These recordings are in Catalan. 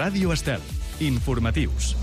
Ràdio Estel. Informatius.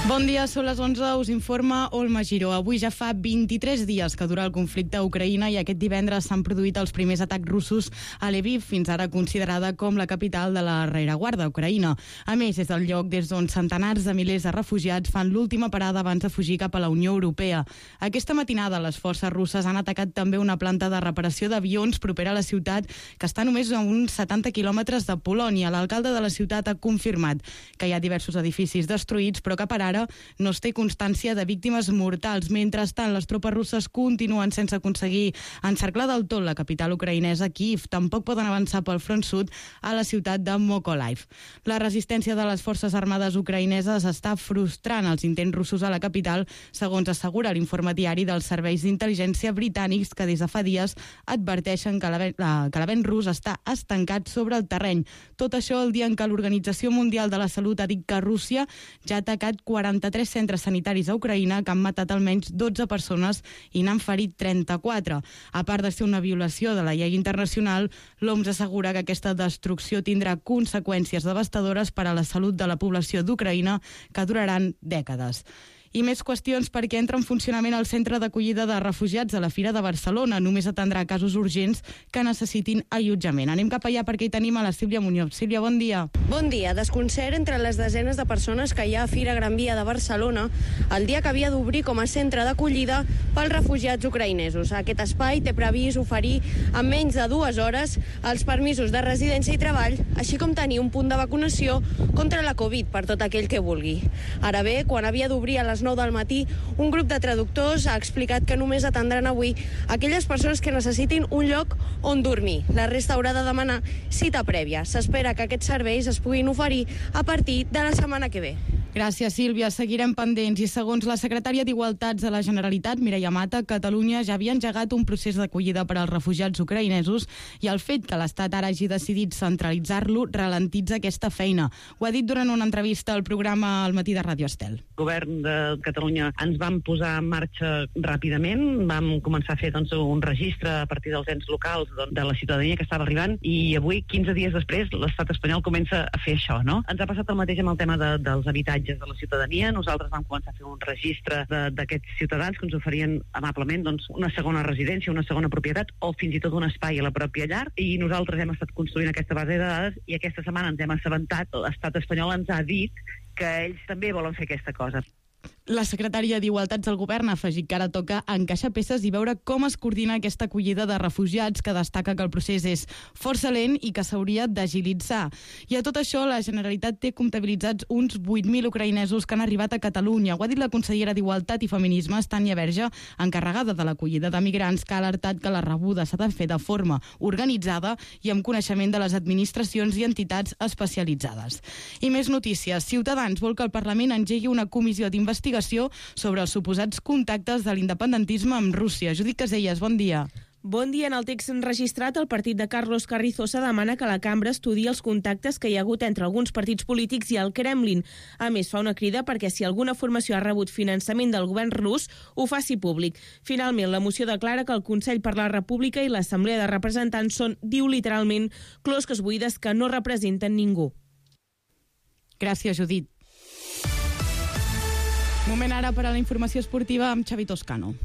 Bon dia, són les 11, us informa Olma Giró. Avui ja fa 23 dies que dura el conflicte a Ucraïna i aquest divendres s'han produït els primers atacs russos a Lviv, fins ara considerada com la capital de la rereguarda ucraïna. A més, és el lloc des d'on centenars de milers de refugiats fan l'última parada abans de fugir cap a la Unió Europea. Aquesta matinada les forces russes han atacat també una planta de reparació d'avions propera a la ciutat, que està només a uns 70 quilòmetres de Polònia. L'alcalde de la ciutat ha confirmat que hi ha diversos edificis destruïts, però que per ara no es té constància de víctimes mortals. Mentrestant, les tropes russes continuen sense aconseguir encerclar del tot la capital ucraïnesa, Kyiv. Tampoc poden avançar pel front sud a la ciutat de Mykolaiv. La resistència de les forces armades ucraïneses està frustrant els intents russos a la capital, segons assegura l'informe diari dels serveis d'intel·ligència britànics, que des de fa dies adverteixen que l'avenç rus està estancat sobre el terreny. Tot això el dia en què l'Organització Mundial de la Salut ha dit que Rússia ja ha atacat 43 centres sanitaris a Ucraïna, que han matat almenys 12 persones i n'han ferit 34. A part de ser una violació de la llei internacional, l'OMS assegura que aquesta destrucció tindrà conseqüències devastadores per a la salut de la població d'Ucraïna que duraran dècades. I més qüestions, perquè entra en funcionament el centre d'acollida de refugiats a la Fira de Barcelona. Només atendrà casos urgents que necessitin allotjament. Anem cap allà perquè hi tenim a la Sílvia Muñoz. Sílvia, bon dia. Bon dia. Desconcert entre les desenes de persones que hi ha a Fira Gran Via de Barcelona el dia que havia d'obrir com a centre d'acollida pels refugiats ucraïnesos. Aquest espai té previst oferir en menys de 2 hores els permisos de residència i treball, així com tenir un punt de vacunació contra la Covid per tot aquell que vulgui. Ara bé, quan havia d'obrir a les 9 del matí, un grup de traductors ha explicat que només atendran avui aquelles persones que necessitin un lloc on dormir. La resta haurà de demanar cita prèvia. S'espera que aquests serveis es puguin oferir a partir de la setmana que ve. Gràcies, Sílvia. Seguirem pendents. I segons la secretària d'Igualtats de la Generalitat, Mireia Mata, Catalunya ja havia engegat un procés d'acollida per als refugiats ucraïnesos i el fet que l'Estat ara hagi decidit centralitzar-lo ralentitza aquesta feina. Ho ha dit durant una entrevista al programa Al matí de Ràdio Estel. El govern de Catalunya ens vam posar en marxa ràpidament, vam començar a fer un registre a partir dels ens locals de la ciutadania que estava arribant i avui, 15 dies després, l'estat espanyol comença a fer això, no? Ens ha passat el mateix amb el tema dels habitatges de la ciutadania. Nosaltres vam començar a fer un registre d'aquests ciutadans que ens oferien amablement una segona residència, una segona propietat o fins i tot un espai a la pròpia llar, i nosaltres hem estat construint aquesta base de dades i aquesta setmana ens hem assabentat, l'estat espanyol ens ha dit que ells també volen fer aquesta cosa. La secretària d'Igualtats del Govern ha afegit que ara toca encaixar peces i veure com es coordina aquesta acollida de refugiats, que destaca que el procés és força lent i que s'hauria d'agilitzar. I a tot això, la Generalitat té comptabilitzats uns 8.000 ucraïnesos que han arribat a Catalunya. Ho ha dit la consellera d'Igualtat i Feminismes, Tània Verge, encarregada de l'acollida de migrants, que ha alertat que la rebuda s'ha de fer de forma organitzada i amb coneixement de les administracions i entitats especialitzades. I més notícies. Ciutadans vol que el Parlament engegui una comissió d'investigació sobre els suposats contactes de l'independentisme amb Rússia. Judit Caselles, bon dia. Bon dia. En el text registrat, el partit de Carlos Carrizosa demana que la cambra estudiï els contactes que hi ha hagut entre alguns partits polítics i el Kremlin. A més, fa una crida perquè si alguna formació ha rebut finançament del govern rus, ho faci públic. Finalment, la moció declara que el Consell per la República i l'Assemblea de Representants són, diu literalment, closques buides que no representen ningú. Gràcies, Judit. Moment ara per a la informació esportiva amb Xavi Toscano.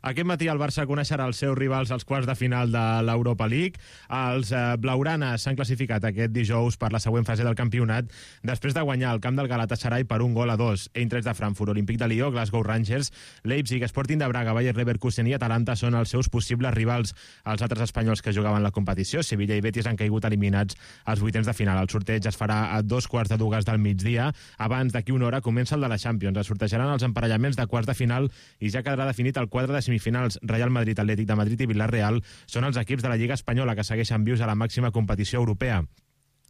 Aquest matí el Barça coneixerà els seus rivals als quarts de final de l'Europa League. Els blaugranes s'han classificat aquest dijous per la següent fase del campionat després de guanyar el camp del Galatasaray per 1-2. Eintracht de Frankfurt, Olímpic de Lió, Glasgow Rangers, Leipzig, Sporting de Braga, Bayer Leverkusen i Atalanta són els seus possibles rivals. Els altres espanyols que jugaven la competició, Sevilla i Betis, han caigut eliminats als vuitens de final. El sorteig es farà a 2:15 del migdia. Abans d'aquí una hora comença el de la Champions. Es sortejaran els emparellaments de quarts de final i ja quedarà definit el quadre de semifinals. Real Madrid, Atlètic de Madrid i Villarreal són els equips de la Lliga Espanyola que segueixen vius a la màxima competició europea.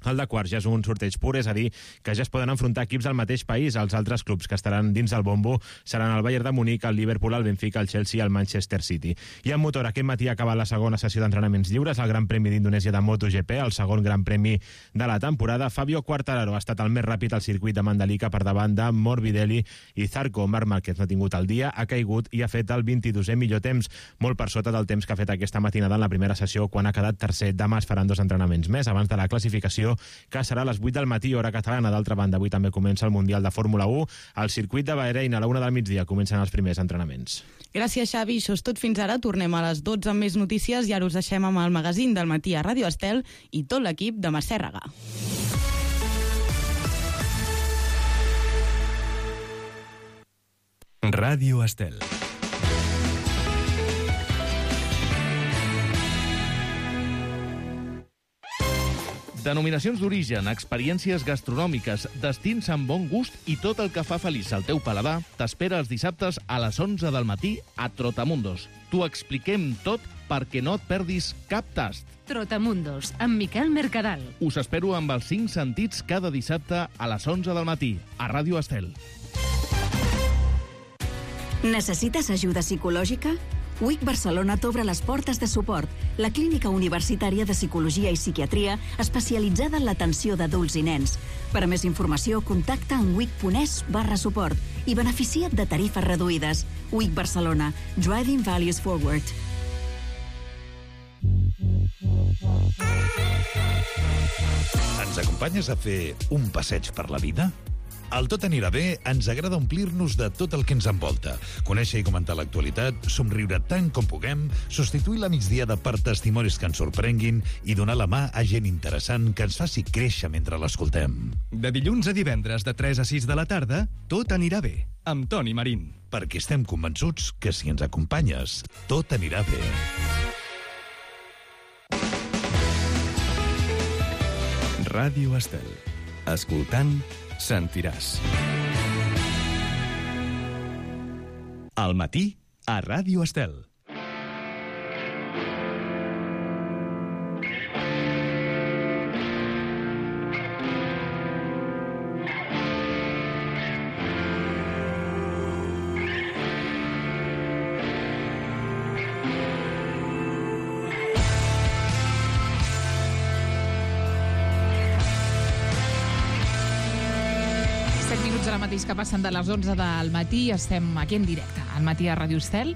El de quarts ja és un sorteig pur, és a dir, que ja es poden enfrontar equips del mateix país. Els altres clubs que estaran dins del bombo seran el Bayern de Munic, el Liverpool, el Benfica, el Chelsea i el Manchester City. I en motor, aquest matí ha acabat la segona sessió d'entrenaments lliures, el Gran Premi d'Indonèsia de MotoGP, el segon Gran Premi de la temporada. Fabio Quartararo ha estat el més ràpid al circuit de Mandalika per davant de Morbidelli i Zarco. Marc Márquez no ha tingut el dia, ha caigut i ha fet el 22è millor temps, molt per sota del temps que ha fet aquesta matinada en la primera sessió, quan ha quedat tercer. Demà es faran 2 entrenaments més abans de la classificació, que serà a les 8 del matí, hora catalana. D'altra banda, avui també comença el Mundial de Fórmula 1. Al circuit de Bahrein, a la 1 del migdia, comencen els primers entrenaments. Gràcies, Xavi. Això és tot fins ara. Tornem a les 12 amb més notícies i ara us deixem amb el magazín del matí a Ràdio Estel i tot l'equip de Massèrraga. Ràdio Estel. Denominacions d'origen, experiències gastronòmiques, destins amb bon gust i tot el que fa feliç al teu paladar t'espera els dissabtes a les 11 del matí a Trotamundos. T'ho expliquem tot perquè no et perdis cap tast. Trotamundos, amb Miquel Mercadal. Us espero amb els 5 sentits cada dissabte a les 11 del matí a Ràdio Estel. Necessites ajuda psicològica? UIC Barcelona t'obre les portes de suport, la clínica universitària de psicologia i psiquiatria especialitzada en l'atenció d'adults i nens. Per a més informació, contacta amb uic.es/suport i beneficia't de tarifes reduïdes. UIC Barcelona, Driving Values Forward. Ens acompanyes a fer un passeig per la vida? Al Tot anirà bé ens agrada omplir-nos de tot el que ens envolta, conèixer i comentar l'actualitat, somriure tant com puguem, substituir la migdiada per testimonis que ens sorprenguin i donar la mà a gent interessant que ens faci créixer mentre l'escoltem. De dilluns a divendres de 3 a 6 de la tarda, Tot anirà bé, amb Toni Marín. Perquè estem convençuts que si ens acompanyes, tot anirà bé. Ràdio Estel. Escoltant, sentiràs. Al matí, a Ràdio Estel. Que passen de les 11 del matí, estem aquí en directe, al matí a Ràdio Estel.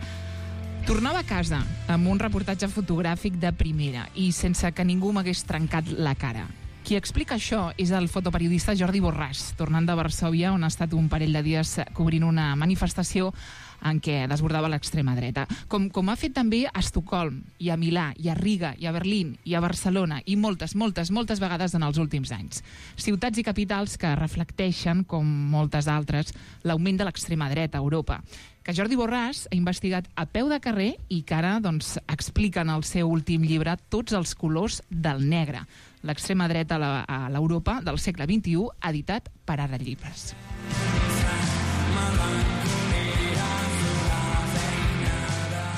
Tornava a casa amb un reportatge fotogràfic de primera i sense que ningú m'hagués trencat la cara. Qui explica això és el fotoperiodista Jordi Borràs, tornant de Varsòvia, on ha estat un parell de dies cobrint una manifestació en què desbordava l'extrema dreta. Com ha fet també a Estocolm, i a Milà, i a Riga, i a Berlín, i a Barcelona, i moltes vegades en els últims anys. Ciutats i capitals que reflecteixen, com moltes altres, l'augment de l'extrema dreta a Europa, que Jordi Borràs ha investigat a peu de carrer i que ara explica en el seu últim llibre Tots els colors del negre, l'extrema dreta a l'Europa del segle XXI, editat per Ara Llibres.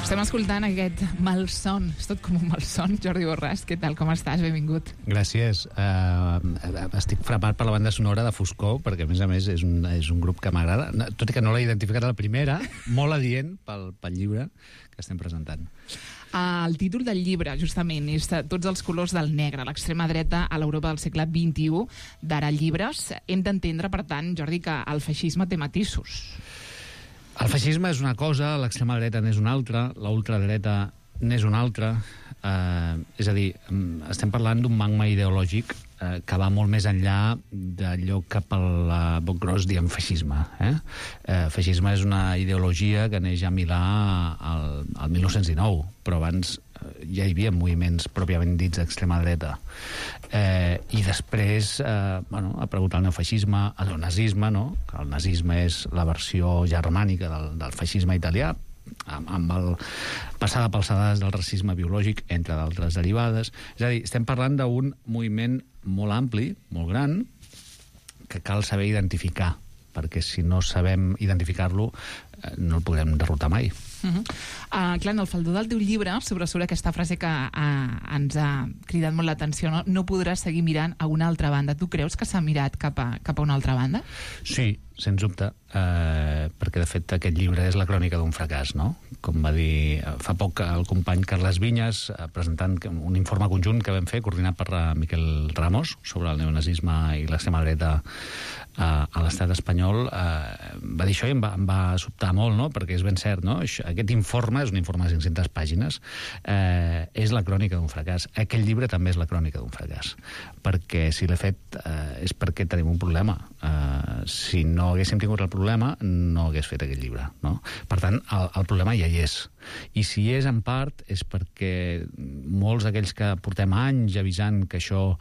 Estem escoltant aquest malson, és tot com un malson. Jordi Borràs, què tal, com estàs? Benvingut. Gràcies. Estic frapat per la banda sonora de Foscor, perquè a més és un grup que m'agrada, tot i que no l'he identificat a la primera, molt adient pel llibre que estem presentant. El títol del llibre, justament, és Tots els colors del negre, l'extrema dreta a l'Europa del segle XXI, d'Ara Llibres. Hem d'entendre, per tant, Jordi, que el feixisme té matisos. El feixisme és una cosa, l'extrema dreta n'és una altra, la ultradreta n'és una altra. És a dir, estem parlant d'un magma ideològic que va molt més enllà d'allò que pel boc gros diem feixisme. Feixisme és una ideologia que neix a Milà al 1919, però abans ja hi havia moviments pròpiament dits d'extrema dreta. I després ha aparegut el neofeixisme, el nazisme, no? Que el nazisme és la versió germànica del feixisme italià, amb el passada pels sedars del racisme biològic, entre d'altres derivades. És a dir, estem parlant d'un moviment molt ampli, molt gran, que cal saber identificar, perquè si no sabem identificar-lo no el podrem derrotar mai. Clar, en el faldó del teu llibre sobresurt aquesta frase que ens ha cridat molt l'atenció, no? No podràs seguir mirant a una altra banda. Tu creus que s'ha mirat cap a una altra banda? Sí, sens dubte, perquè de fet aquest llibre és la crònica d'un fracàs, no? Com va dir fa poc el company Carles Vinyes, presentant un informe conjunt que vam fer, coordinat per Miquel Ramos, sobre el neonazisme i l'extrema dreta a l'estat espanyol, va dir això i em va sobtar molt, no? Perquè és ben cert, no? Aquest informe és un informe de 500 pàgines, és la crònica d'un fracàs. Aquell llibre també és la crònica d'un fracàs, perquè si l'he fet és perquè tenim un problema. Si no haguéssim tingut el problema, no hagués fet aquest llibre, no? Per tant, el problema ja hi és. I si és en part és perquè molts d'aquells que portem anys avisant que això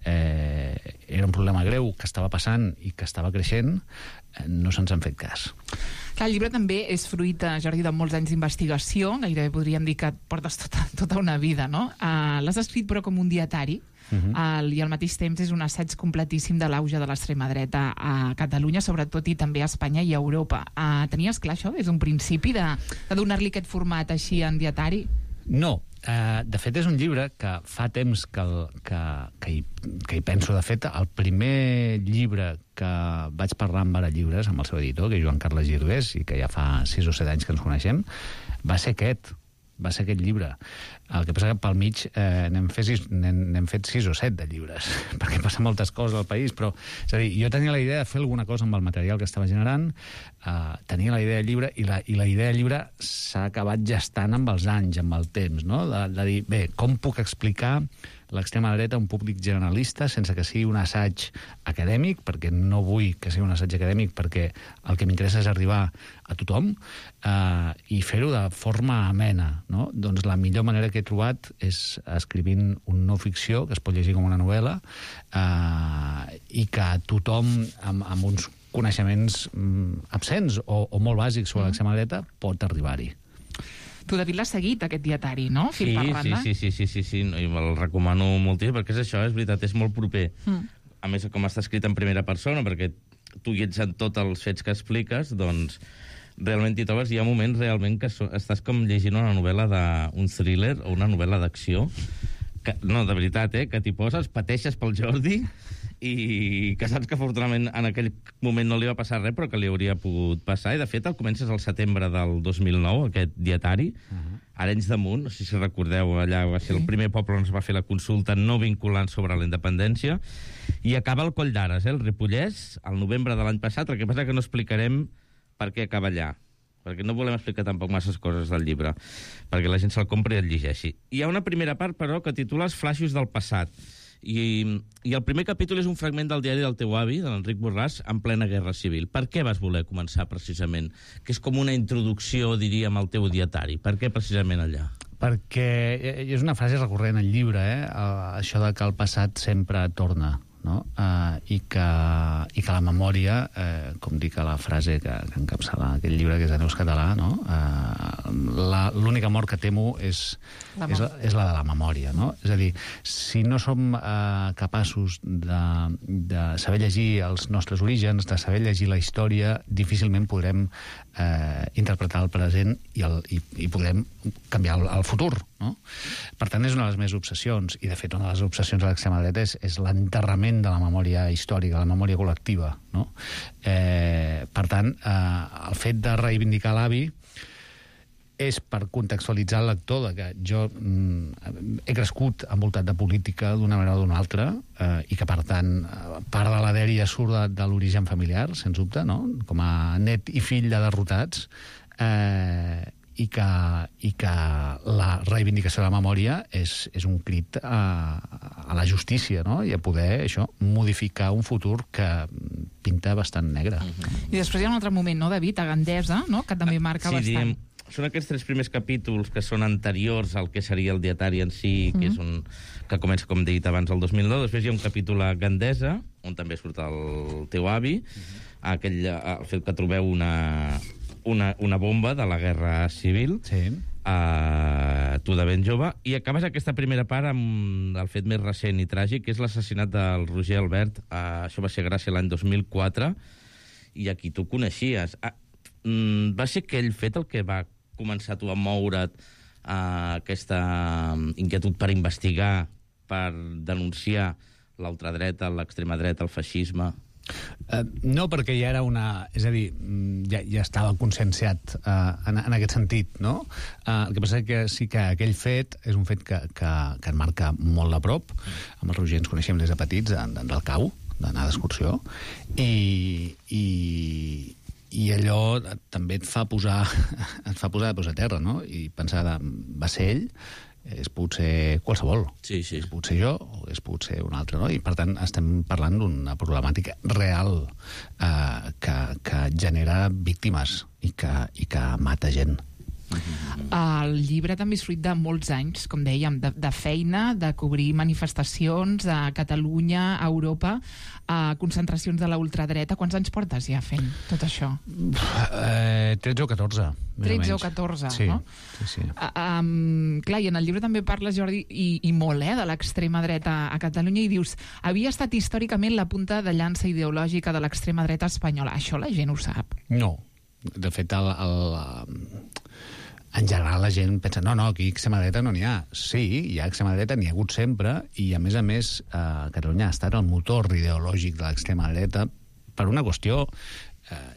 era un problema greu, que estava passant i que estava creixent, no se'ns han fet cas. Clar, el llibre també és fruit, Jordi, de molts anys d'investigació, gairebé podríem dir que et portes tota una vida, no? L'has escrit però com un dietari, i al mateix temps és un assaig completíssim de l'auge de l'extrema dreta a Catalunya, sobretot, i també a Espanya i a Europa. Tenies clar això des d'un principi, de donar-li aquest format així en dietari? No. De fet, és un llibre que fa temps que hi penso. De fet, el primer llibre que vaig parlar amb Ara Llibres, amb el seu editor, que és Joan Carles Girdés, i que ja fa 6 o 7 anys que ens coneixem, va ser aquest llibre. El que passa que pel mig n'hem fet 6 o 7 de llibres, perquè passen moltes coses al país, però és a dir, jo tenia la idea de fer alguna cosa amb el material que estava generant, tenia la idea del llibre, i la idea del llibre s'ha acabat gestant amb els anys, amb el temps, no? De dir, bé, com puc explicar l'extrema dreta a un públic generalista sense que sigui un assaig acadèmic, perquè no vull que sigui un assaig acadèmic, perquè el que m'interessa és arribar a tothom, i fer-ho de forma amena, no? Doncs la millor manera que he trobat és escrivint una no ficció que es pot llegir com una novel·la, i que tothom amb uns coneixements absents o molt bàsics sobre l'extrema dreta pot arribar-hi. Tu, David, l'has seguit, aquest dietari, no? Sí, i me'l recomano moltíssim, perquè és això, és veritat, és molt proper. A més, com està escrit en primera persona, perquè tu hi ets en tots els fets que expliques, doncs realment t'hi trobes, hi ha moments realment que estàs com llegint una novel·la d'un thriller o una novel·la d'acció, no, de veritat, que t'hi poses, pateixes pel Jordi, i que saps que afortunadament en aquell moment no li va passar res, però que li hauria pogut passar, i de fet el comences al setembre del 2009, aquest dietari, Arenys de Munt, no sé si recordeu, allà va ser el primer poble on es va fer la consulta no vinculant sobre la independència, i acaba al Coll d'Ares, el Ripollès, al novembre de l'any passat. El que passa que no explicarem per què acaba allà, perquè no volem explicar tampoc masses coses del llibre, perquè la gent se'l compri i el llegeixi. Hi ha una primera part, però, que titula Els flaixos del passat, i el primer capítol és un fragment del diari del teu avi, de l'Enric Borràs, en plena Guerra Civil. Per què vas voler començar precisament? Que és com una introducció, diríem, al teu dietari. Per què precisament allà? Perquè és una frase recurrent al llibre, això de que el passat sempre torna, no? I que la memòria, com dic a la frase que encapçala aquest llibre, que és de Neus Català, no? L'única mort que temo és la de la memòria, no? És a dir, si no som capaços de saber llegir els nostres orígens, de saber llegir la història, difícilment podrem interpretar el present i podrem canviar el futur, no? Per tant, és una de les meves obsessions, i de fet una de les obsessions de l'extrema dreta és l'enterrament de la memòria històrica, la memòria col·lectiva, no? Per tant, el fet de reivindicar l'avi és per contextualitzar el lector de que jo he crescut envoltat de política d'una manera o d'una altra, i que, per tant, part de la dèria surt de l'origen familiar, sens dubte, no? Com a net i fill de derrotats, i que la reivindicació de la memòria és un crit a la justícia, no? I a poder, això, modificar un futur que pinta bastant negre. I després hi ha un altre moment, no, David, a Gandesa, no?, que també marca bastant. Són aquests 3 primers capítols que són anteriors al que seria el dietari en si, que és que comença, com he dit abans, el 2009. Després hi ha un capítol a Gandesa, on també surt el teu avi, el fet que trobeu una bomba de la Guerra Civil, tu de ben jove, i acabes aquesta primera part amb el fet més recent i tràgic, que és l'assassinat del Roger Albert. Això va ser gràcia l'any 2004, i aquí tu coneixies. va ser aquell fet el que va començar tu a moure't aquesta inquietud per investigar, per denunciar l'ultradreta, l'extrema dreta, el feixisme? No, perquè ja era una... És a dir, ja estava conscienciat en aquest sentit, no? El que passa és que sí que aquell fet és un fet que en marca molt de prop. Amb el Roger ens coneixem des de petits, del cau, d'anar d'excursió, i allò també et fa posar de peus a terra, no? I pensar, va ser ell, és potser qualsevol. Sí. És potser jo o és potser un altre, no? I per tant estem parlant d'una problemàtica real que genera víctimes i que mata gent. El llibre també és fruit de molts anys, com dèiem, de feina, de cobrir manifestacions a Catalunya, a Europa, concentracions de la ultradreta. Quants anys portes ja fent tot això? 13 o 14. 13 o 14, sí, no? Sí. Clar, i en el llibre també parles, Jordi, i molt, de l'extrema dreta a Catalunya, i dius, havia estat històricament la punta de llança ideològica de l'extrema dreta espanyola. Això la gent ho sap? No. De fet, en general la gent pensa, no, aquí extrema dreta no n'hi ha. Sí, hi ha extrema dreta, n'hi ha hagut sempre, i a més, Catalunya ha estat el motor ideològic de l'extrema dreta per una qüestió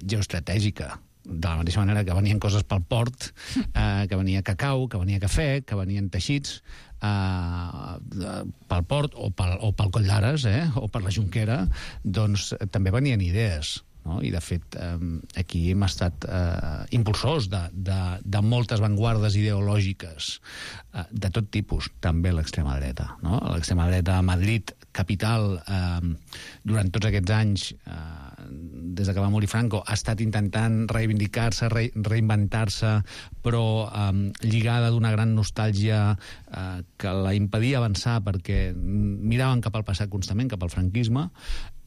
geoestratègica. De la mateixa manera que venien coses pel port, que venia cacau, que venia cafè, que venien teixits pel port o pel Coll d'Ares, o per la Jonquera, doncs també venien idees. No? I, de fet, aquí hem estat impulsors de moltes vanguardes ideològiques de tot tipus, també l'extrema dreta. No? L'extrema dreta a Madrid, capital, durant tots aquests anys, des que va morir Franco, ha estat intentant reivindicar-se, reinventar-se, però lligada d'una gran nostàlgia que la impedia avançar perquè miraven cap al passat constantment, cap al franquisme,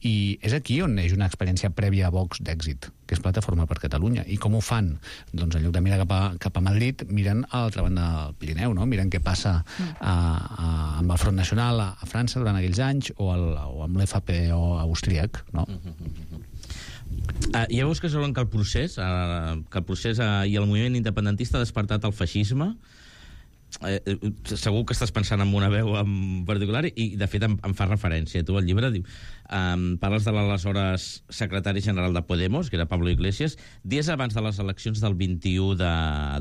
i és aquí on neix una experiència prèvia a Vox d'èxit, que és Plataforma per Catalunya. I com ho fan? Doncs en lloc de mirar cap a Madrid, miren a l'altra banda del Pirineu, no? Miren què passa amb el Front Nacional a França durant aquells anys o amb l'FPO austríac, no? Ja veus que saben que el procés i el moviment independentista ha despertat el feixisme. Segur que estàs pensant en una veu en particular i de fet em fa referència. Tu al llibre parles de l'aleshores secretari general de Podemos, que era Pablo Iglesias, dies abans de les eleccions del 21 de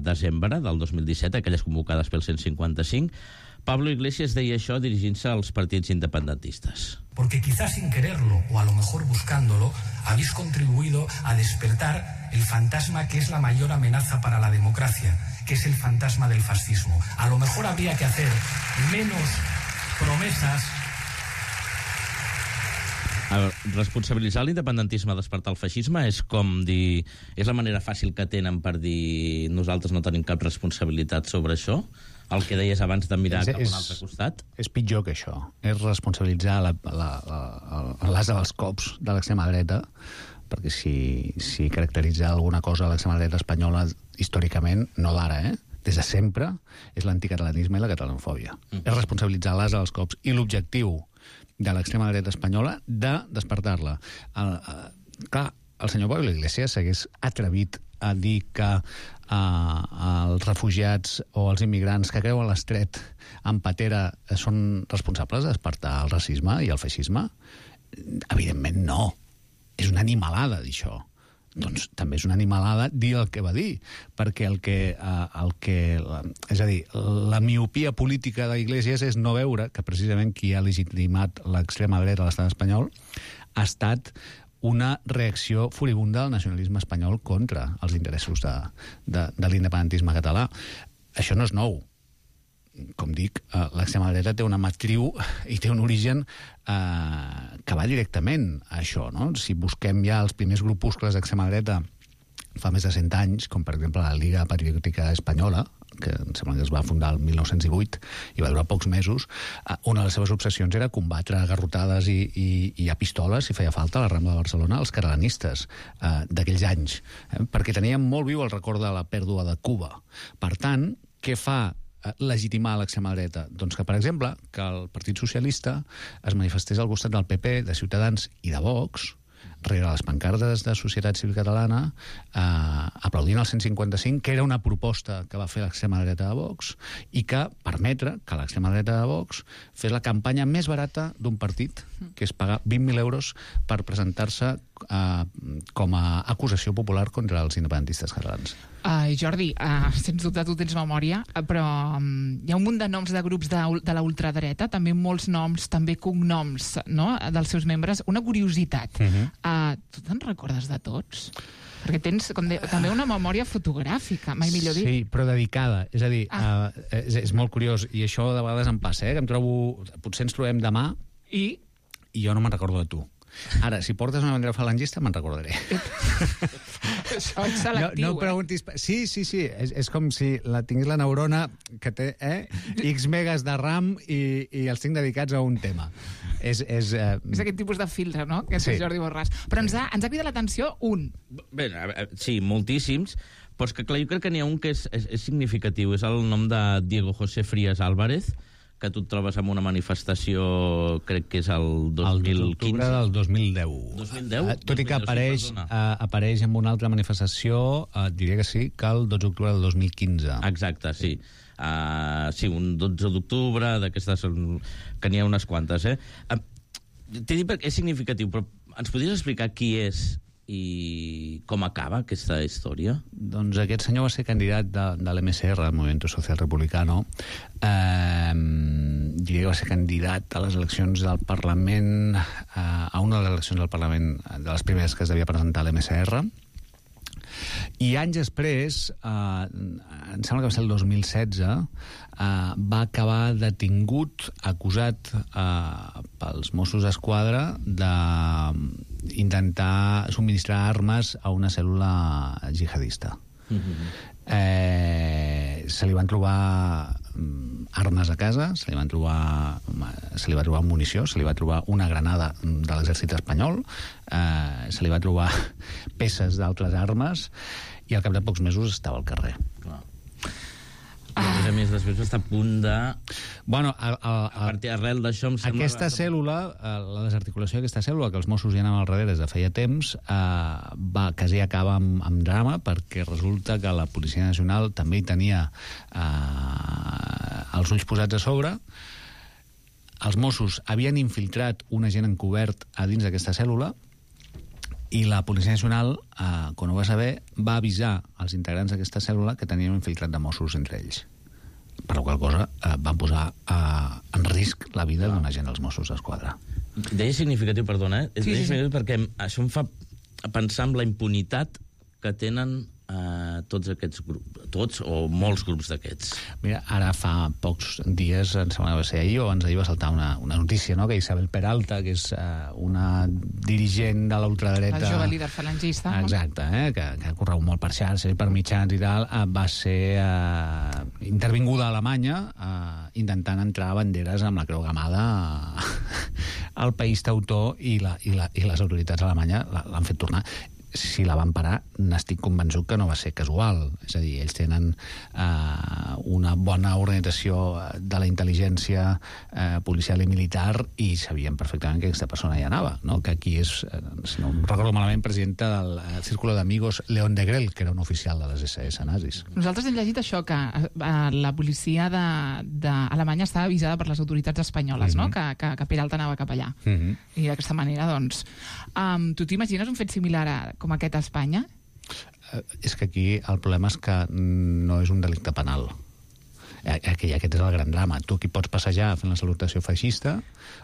desembre del 2017, aquelles convocades pel 155. Pablo Iglesias deia això dirigint-se als partits independentistes. Porque quizás sin quererlo, o a lo mejor buscándolo, habéis contribuido a despertar el fantasma que es la mayor amenaza para la democracia, que es el fantasma del fascismo. A lo mejor habría que hacer menos promesas. Responsabilitzar l'independentisme a despertar el feixisme és com dir... És la manera fàcil que tenen per dir nosaltres no tenim cap responsabilitat sobre això? El que deies abans de mirar cap a un altre costat? És pitjor que això. És responsabilitzar l'asa dels cops de l'extrema dreta, perquè si caracteritza alguna cosa a l'extrema dreta espanyola històricament, no d'ara, des de sempre, és l'anticatalanisme i la catalanofòbia. És responsabilitzar l'asa dels cops. I l'objectiu de l'extrema dreta espanyola de despertar-la. Clar, el senyor Pablo Iglesias s'hagués atrevit a dir que els refugiats o els immigrants que creuen l'estret en patera són responsables de despertar el racisme i el feixisme? Evidentment no. És una animalada dir això. Doncs també és una animalada dir el que va dir, perquè és a dir, la miopia política d'Iglesias és no veure que precisament qui ha legitimat l'extrema dreta a l'estat espanyol ha estat una reacció furibunda del nacionalisme espanyol contra els interessos de l'independentisme català. Això no és nou. Com dic, l'extrema dreta té una matriu i té un origen que va directament a això, no? Si busquem ja els primers grupuscles d'extrema dreta fa més de 100 anys, com per exemple la Liga Patriòtica Espanyola, que em sembla que es va fundar el 1908 i va durar pocs mesos, una de les seves obsessions era combatre a garrotades i a pistoles, si feia falta, a la Rambla de Barcelona, els catalanistes d'aquells anys, perquè tenien molt viu el record de la pèrdua de Cuba. Per tant, què fa legitimar l'extrema dreta? Doncs que, per exemple, que el Partit Socialista es manifestés al costat del PP, de Ciutadans i de Vox rere les pancartes de Societat Civil Catalana, aplaudint el 155, que era una proposta que va fer l'extrema dreta de Vox i que permetre que l'extrema dreta de Vox fes la campanya més barata d'un partit, que és pagar 20.000 euros per presentar-se com a acusació popular contra els independentistes catalans. Jordi, sens dubte tu tens memòria, però hi ha un munt de noms de grups de la ultradreta, també molts noms, també cognoms, no?, dels seus membres. Una curiositat, tu te'n recordes de tots? Perquè tens també una memòria fotogràfica, mai millor dit. Sí, però dedicada. És a dir, és molt curiós, i això de vegades em passa, que em trobo... Potser ens trobem demà i jo no me'n recordo de tu. Ara, si portes una bandera falangista, me'n recordaré. Això és selectiu, no preguntis... Sí, és com si tingués la neurona que té X megas de RAM i els tinc dedicats a un tema. És aquest tipus de filtre, no?, que és Jordi Borràs. Però ens ha cridat l'atenció un. Bé, sí, moltíssims, però és que clar, jo crec que n'hi ha un que és significatiu. És el nom de Diego José Frías Álvarez, que tu et trobes en una manifestació, crec que és el 2015. El d'octubre del 2010. 2010? Tot i que apareix en una altra manifestació, diria que sí, que el 12 d'octubre del 2015. Exacte, sí. Sí, un 12 d'octubre, d'aquestes, que n'hi ha unes quantes, T'he dit perquè és significatiu, però ens podries explicar qui és i com acaba aquesta història? Doncs aquest senyor va ser candidat de l'MSR, el Movimiento Social Republicano. Diria que va ser candidat a les eleccions del Parlament, a una de les eleccions del Parlament, de les primeres que es devia presentar a l'MSR. I anys després, em sembla que va ser el 2016, va acabar detingut, acusat pels Mossos d'Esquadra d'intentar subministrar armes a una cèl·lula jihadista. Se li van trobar armes a casa, se li va trobar munició, se li va trobar una granada de l'exèrcit espanyol, se li va trobar peces d'altres armes i al cap de pocs mesos estava al carrer. I a més, després va estar a punt de... Bueno, arrel d'això em sembla... Aquesta cèl·lula, la desarticulació d'aquesta cèl·lula, que els Mossos hi anaven al darrere des de feia temps, quasi acaba amb drama, perquè resulta que la Policia Nacional també hi tenia els ulls posats a sobre. Els Mossos havien infiltrat un agent encobert a dins d'aquesta cèl·lula i la Policia Nacional, quan ho va saber, va avisar als integrants d'aquesta cèl·lula que tenien un infiltrat de Mossos entre ells. Per la qual cosa van posar en risc la vida d'un agent dels Mossos d'Esquadra. Deia significatiu, perdona, és significatiu perquè això em fa pensar en la impunitat que tenen tots aquests grups, tots o molts grups d'aquests. Mira, ara fa pocs dies, em sembla que va ser ahir o abans d'ahir va saltar una notícia, no?, que Isabel Peralta, que és una dirigent de l'ultradreta... El jove líder falangista. Exacte, que ha corregut molt per xarxes i per mitjans i tal, va ser intervinguda a Alemanya intentant entrar banderes amb la creu gamada al país teutor i les autoritats alemanyes l'han fet tornar. Si la van parar, n'estic convençut que no va ser casual. És a dir, ells tenen una bona organització de la intel·ligència policial i militar i sabien perfectament que aquesta persona hi anava, no? Que aquí és, si no em recordo malament, presidenta del Círculo de Amigos León de Grell, que era un oficial de les SS nazis. Nosaltres hem llegit això, que la policia d'Alemanya estava avisada per les autoritats espanyoles, no?, que Peralta anava cap allà. I d'aquesta manera, doncs... Tu t'imagines un fet similar com aquest a Espanya? És que aquí el problema és que no és un delicte penal. Aquest és el gran drama. Tu aquí pots passejar fent la salutació feixista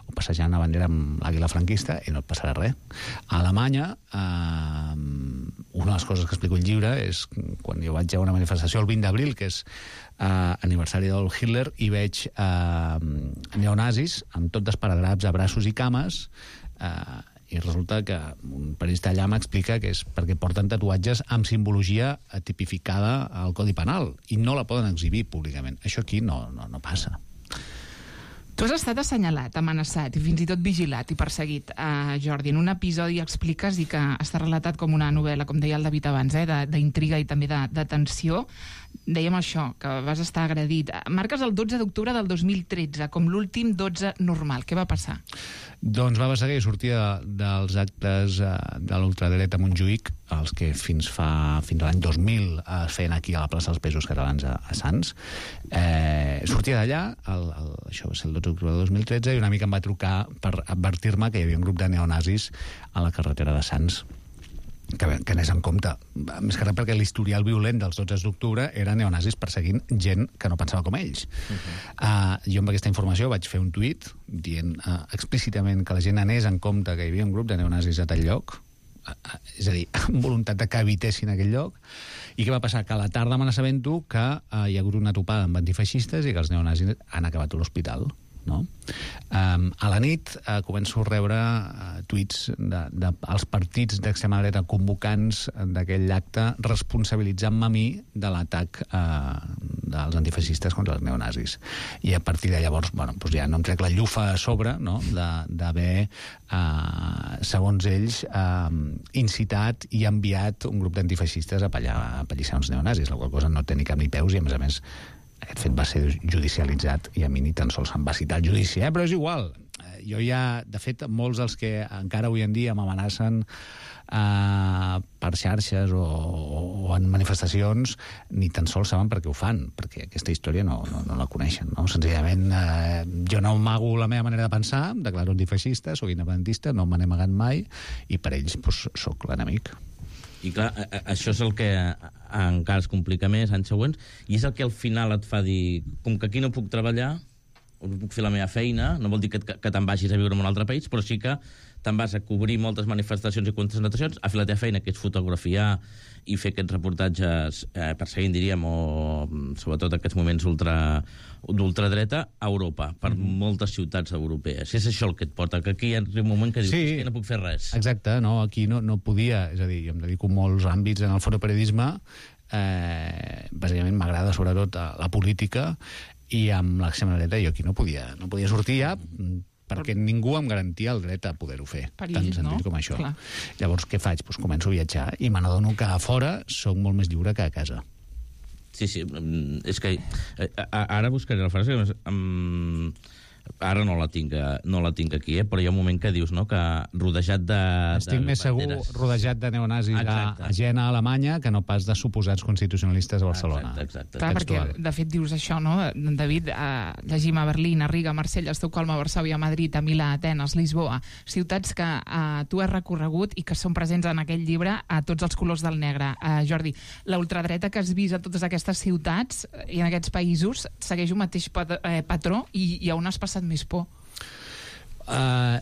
o passejant una bandera amb l'àguila franquista i no et passarà res. A Alemanya, una de les coses que explico al llibre és quan jo vaig a una manifestació el 20 d'abril, que és aniversari d'Adolf Hitler, i veig neonazis amb tot d'esparadraps a braços i cames, i resulta que un periodista allà m'explica que és perquè porten tatuatges amb simbologia tipificada al Codi Penal i no la poden exhibir públicament. Això aquí no passa. Tu has estat assenyalat, amenaçat i fins i tot vigilat i perseguit, Jordi. En un episodi expliques i que està relatat com una novel·la, com deia el David abans, d'intriga i també de tensió. dèiem això, que vas estar agredit. Marques el 12 d'octubre del 2013 com l'últim 12 normal. Què va passar? Doncs va passar que jo sortia dels actes de l'ultradreta a Montjuïc, els que fins a l'any 2000 es feien aquí a la plaça dels Països Catalans a Sants. Sortia d'allà, això va ser el 12 d'octubre del 2013, i una mica em va trucar per advertir-me que hi havia un grup de neonazis a la carretera de Sants, que anés en compte. Més que res perquè l'historial violent dels 12 d'octubre era neonazis perseguint gent que no pensava com ells. Jo amb aquesta informació vaig fer un tuit dient explícitament que la gent anés en compte que hi havia un grup de neonazis a tal lloc, és a dir, amb voluntat de que evitessin aquell lloc. I què va passar? Que a la tarda me n'assabento que hi ha hagut una topada amb antifeixistes i que els neonazis han acabat a l'hospital. No? A la nit començo a rebre tuits dels partits d'extrema dreta convocants d'aquell acte responsabilitzant-me a mi de l'atac dels antifeixistes contra els neonazis. I a partir de llavors, doncs ja no em trec la llufa a sobre, no? d'haver, segons ells, incitat i enviat un grup d'antifeixistes a apallissar uns neonazis, la qual cosa no té ni cap ni peus, i a més aquest fet va ser judicialitzat i a mi ni tan sols em va citar el judici, però és igual. Jo ja, de fet, molts dels que encara avui en dia m'amenacen per xarxes o en manifestacions ni tan sols saben per què ho fan, perquè aquesta història no la coneixen. No? Senzillament, jo no amago la meva manera de pensar, declaro antifeixista, soc independentista, no me n'he amagat mai, i per ells soc l'enemic. I clar, això és el que encara es complica més anys següents, i és el que al final et fa dir, com que aquí no puc treballar, o no puc fer la meva feina, no vol dir que te'n vagis a viure en un altre país, però sí que te'n vas a cobrir moltes manifestacions i concentracions, a fer la teva feina, que és fotografiar i fer aquests reportatges perseguint, diríem, o sobretot aquests moments d'ultradreta a Europa, per moltes ciutats europees. És això el que et porta, que aquí hi ha un moment que dius, sí, que no puc fer res. Exacte, no, aquí no podia, és a dir, jo em dedico a molts àmbits en el fotoperiodisme, bàsicament m'agrada sobretot la política, i amb l'extrema dreta jo aquí no podia sortir ja, perquè ningú em garantia el dret a poder-ho fer, tan sentit com això. Clar. Llavors, què faig? Doncs començo a viatjar i me n'adono que a fora soc molt més lliure que a casa. Sí, és que ara buscaré la frase, ara no la tinc aquí, però hi ha un moment que dius, no?, que rodejat de... Estic més segur rodejat de neonazis a Jena, a Alemanya, que no pas de suposats constitucionalistes a Barcelona. Exacte. Clar, perquè, de fet, dius això, no, David? Llegim a Berlín, a Riga, a Marsella, a Estocolm, a Varsòvia, a Madrid, a Milà, a Atenes, Lisboa, ciutats que tu has recorregut i que són presents en aquell llibre a tots els colors del negre. Jordi, la ultradreta que has vist a totes aquestes ciutats i en aquests països segueix un mateix patró i on has passat més por?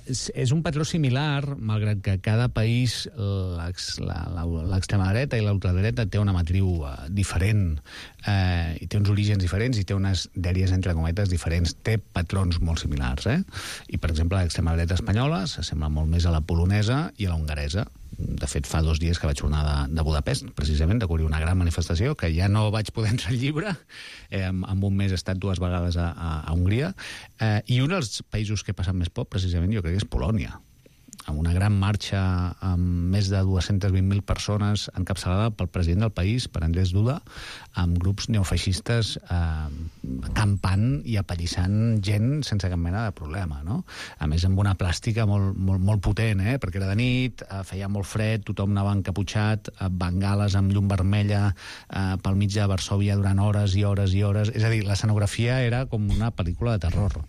És un patró similar, malgrat que cada país l'extrema dreta i l'ultradreta té una matriu diferent, i té uns orígens diferents i té unes dèries entre cometes diferents, té patrons molt similars, i per exemple l'extrema dreta espanyola s'assembla molt més a la polonesa i a la hongaresa. De fet, fa 2 dies que vaig tornar de Budapest, precisament, de cobrir una gran manifestació, que ja no vaig poder entrar al llibre, en un mes he estat 2 vegades a Hongria, i un dels països que he passat més por, precisament, jo crec que és Polònia, amb una gran marxa amb més de 220.000 persones encapçalada pel president del país, per Andrzej Duda, amb grups neofeixistes campant i apallissant gent sense cap mena de problema, no? A més, amb una plàstica molt potent, perquè era de nit, feia molt fred, tothom anava encaputxat, bengales amb llum vermella pel mig de Varsòvia durant hores i hores i hores. És a dir, l'escenografia era com una pel·lícula de terror.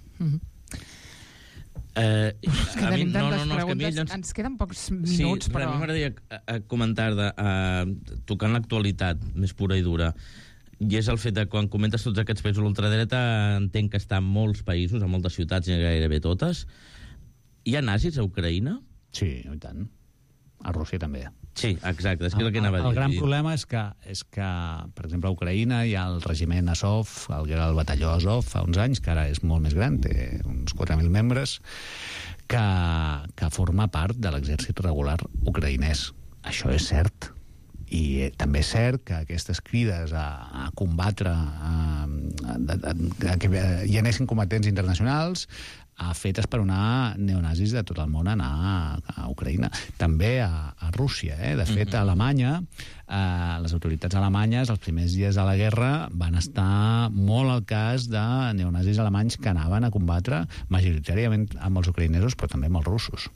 Tenim tantes preguntes, ens queden pocs minuts, però... A mi m'agradaria comentar tocant l'actualitat més pura i dura, i és el fet de quan comentes tots aquests països de l'ultradreta, entenc que està en molts països, en moltes ciutats, gairebé totes. Hi ha nazis a Ucraïna? Sí, i tant. A Rússia també. Sí, exacte, és que és el que anava a dir. El gran problema és que, per exemple, a Ucraïna hi ha el regiment Azov, que era el batalló Azov fa uns anys, que ara és molt més gran, té uns 4.000 membres, que forma part de l'exèrcit regular ucraïnès. Això és cert. I també és cert que aquestes crides a combatre, que hi anessin combatents internacionals, fetes per anar neonazis de tot el món a anar a Ucraïna. També a Rússia. De fet, a Alemanya, les autoritats alemanyes, els primers dies de la guerra, van estar molt al cas de neonazis alemanys que anaven a combatre majoritàriament amb els ucraïnesos, però també amb els russos.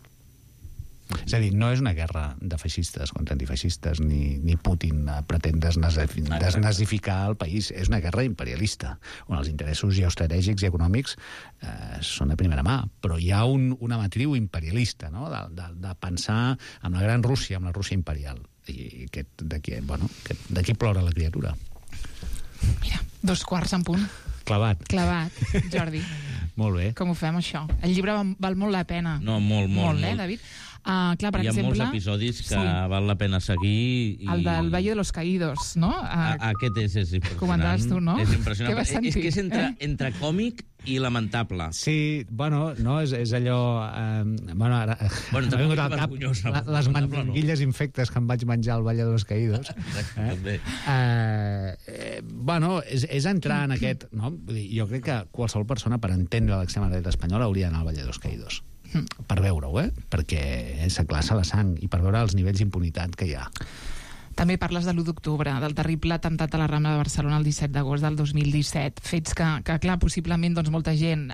És a dir, no és una guerra de feixistes contra antifeixistes, ni Putin pretén desnazificar el país. És una guerra imperialista, on els interessos geoestratègics i econòmics són de primera mà. Però hi ha una matriu imperialista, no?, de pensar en la gran Rússia, amb la Rússia imperial. I d'aquí plora la criatura. Mira, 2:15 en punt. Clavat, Jordi. Molt bé. Com ho fem, això? El llibre val molt la pena. No, molt. David? Clar, per hi ha exemple, molts episodis que val la pena seguir. El del Valle de los Caídos, no? Aquest és impressionant. Comentaves tu, no? És impressionant. Què vas sentir? És que és entre còmic i lamentable. Sí, no, és allò... M'ha vingut al cap les manguilles infectes que em vaig menjar al Valle de los Caídos. És entrar en aquest... No? Jo crec que qualsevol persona, per entendre l'extrema dreta espanyola, hauria d'anar al Valle de los Caídos. Per veure-ho, perquè s'aclassa la sang i per veure els nivells d'impunitat que hi ha. També parles de l'1 d'octubre, del terrible atemptat a la Rambla de Barcelona el 17 d'agost del 2017. Fets que clar, possiblement molta gent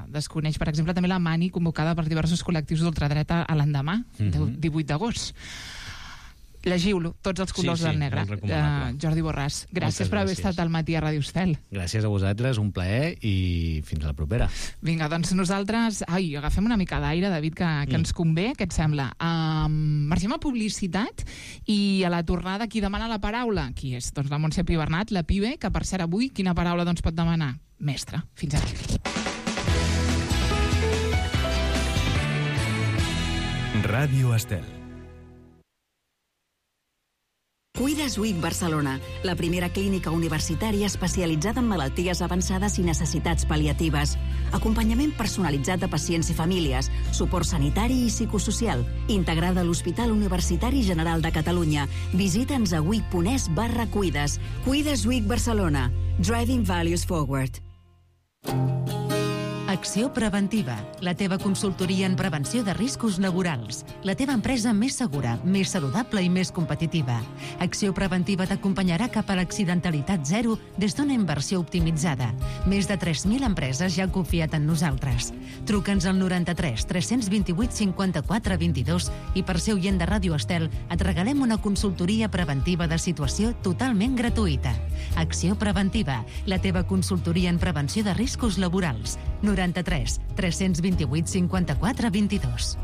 desconeix. Per exemple, també la mani convocada per diversos col·lectius d'ultradreta a l'endemà, del 18 d'agost. Llegiu-lo, tots els colors del negre. Jordi Borràs, gràcies per haver estat al matí a Ràdio Estel. Gràcies a vosaltres, un plaer i fins a la propera. Vinga, doncs nosaltres agafem una mica d'aire, David, que ens convé, què et sembla? Marxem a publicitat i a la tornada qui demana la paraula? Qui és? Doncs la Montse Pibernat, la Pibe, que per cert avui quina paraula pot demanar? Mestre. Fins aquí. Ràdio Estel. Cuides Week Barcelona, la primera clínica universitària especialitzada en malalties avançades i necessitats pal·liatives. Acompanyament personalitzat de pacients i famílies, suport sanitari i psicosocial, integrada a l'Hospital Universitari General de Catalunya. Visita'ns a week.es/cuides. Cuides Week Barcelona. Driving Values Forward. Acció Preventiva, la teva consultoria en prevenció de riscos laborals. La teva empresa més segura, més saludable i més competitiva. Acció Preventiva t'acompanyarà cap a l'accidentalitat zero des d'una inversió optimitzada. Més de 3.000 empreses ja han confiat en nosaltres. Truca'ns al 93 328 54 22 i per ser oient de Ràdio Estel et regalem una consultoria preventiva de situació totalment gratuïta. Acció Preventiva, la teva consultoria en prevenció de riscos laborals. 93 328 54 22.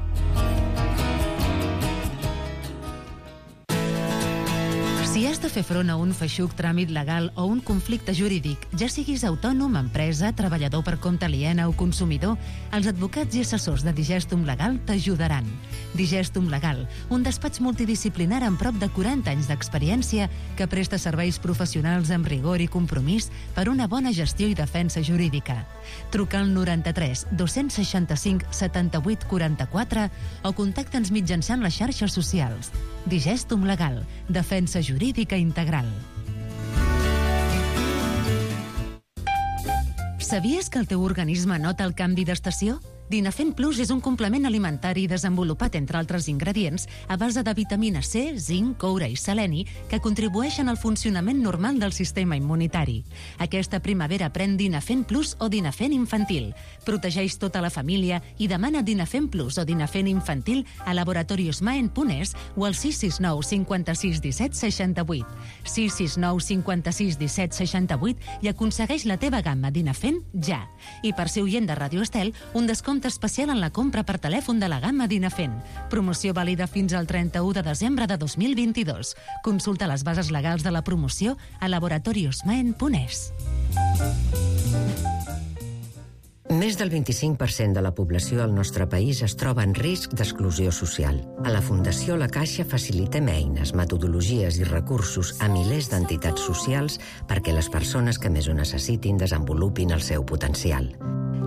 Si has de fer front a un feixuc tràmit legal o un conflicte jurídic, ja siguis autònom, empresa, treballador per compte aliena o consumidor, els advocats i assessors de Digestum Legal t'ajudaran. Digestum Legal, un despatx multidisciplinar amb prop de 40 anys d'experiència que presta serveis professionals amb rigor i compromís per una bona gestió i defensa jurídica. Truca al 93 265 78 44 o contacta'ns mitjançant les xarxes socials. Digestum Legal, defensa jurídica integral. Sabies que el teu organisme nota el canvi d'estació? Dinafent Plus és un complement alimentari desenvolupat, entre altres ingredients, a base de vitamina C, zinc, coure i seleni, que contribueixen al funcionament normal del sistema immunitari. Aquesta primavera pren Dinafent Plus o Dinafent Infantil. Protegeix tota la família i demana Dinafent Plus o Dinafent Infantil a laboratoriosmaen.es o al 669 56 17 68. 669 56 17 68 i aconsegueix la teva gamma Dinafent ja. I per ser oient de Ràdio Estel, un descompte especial en la compra per telèfon de la gamma Dinafent. Promoció vàlida fins al 31 de desembre de 2022. Consulta les bases legals de la promoció a laboratoriosmaen.es. Més del 25% de la població del nostre país es troba en risc d'exclusió social. A la Fundació La Caixa facilitem eines, metodologies i recursos a milers d'entitats socials perquè les persones que més ho necessitin desenvolupin el seu potencial.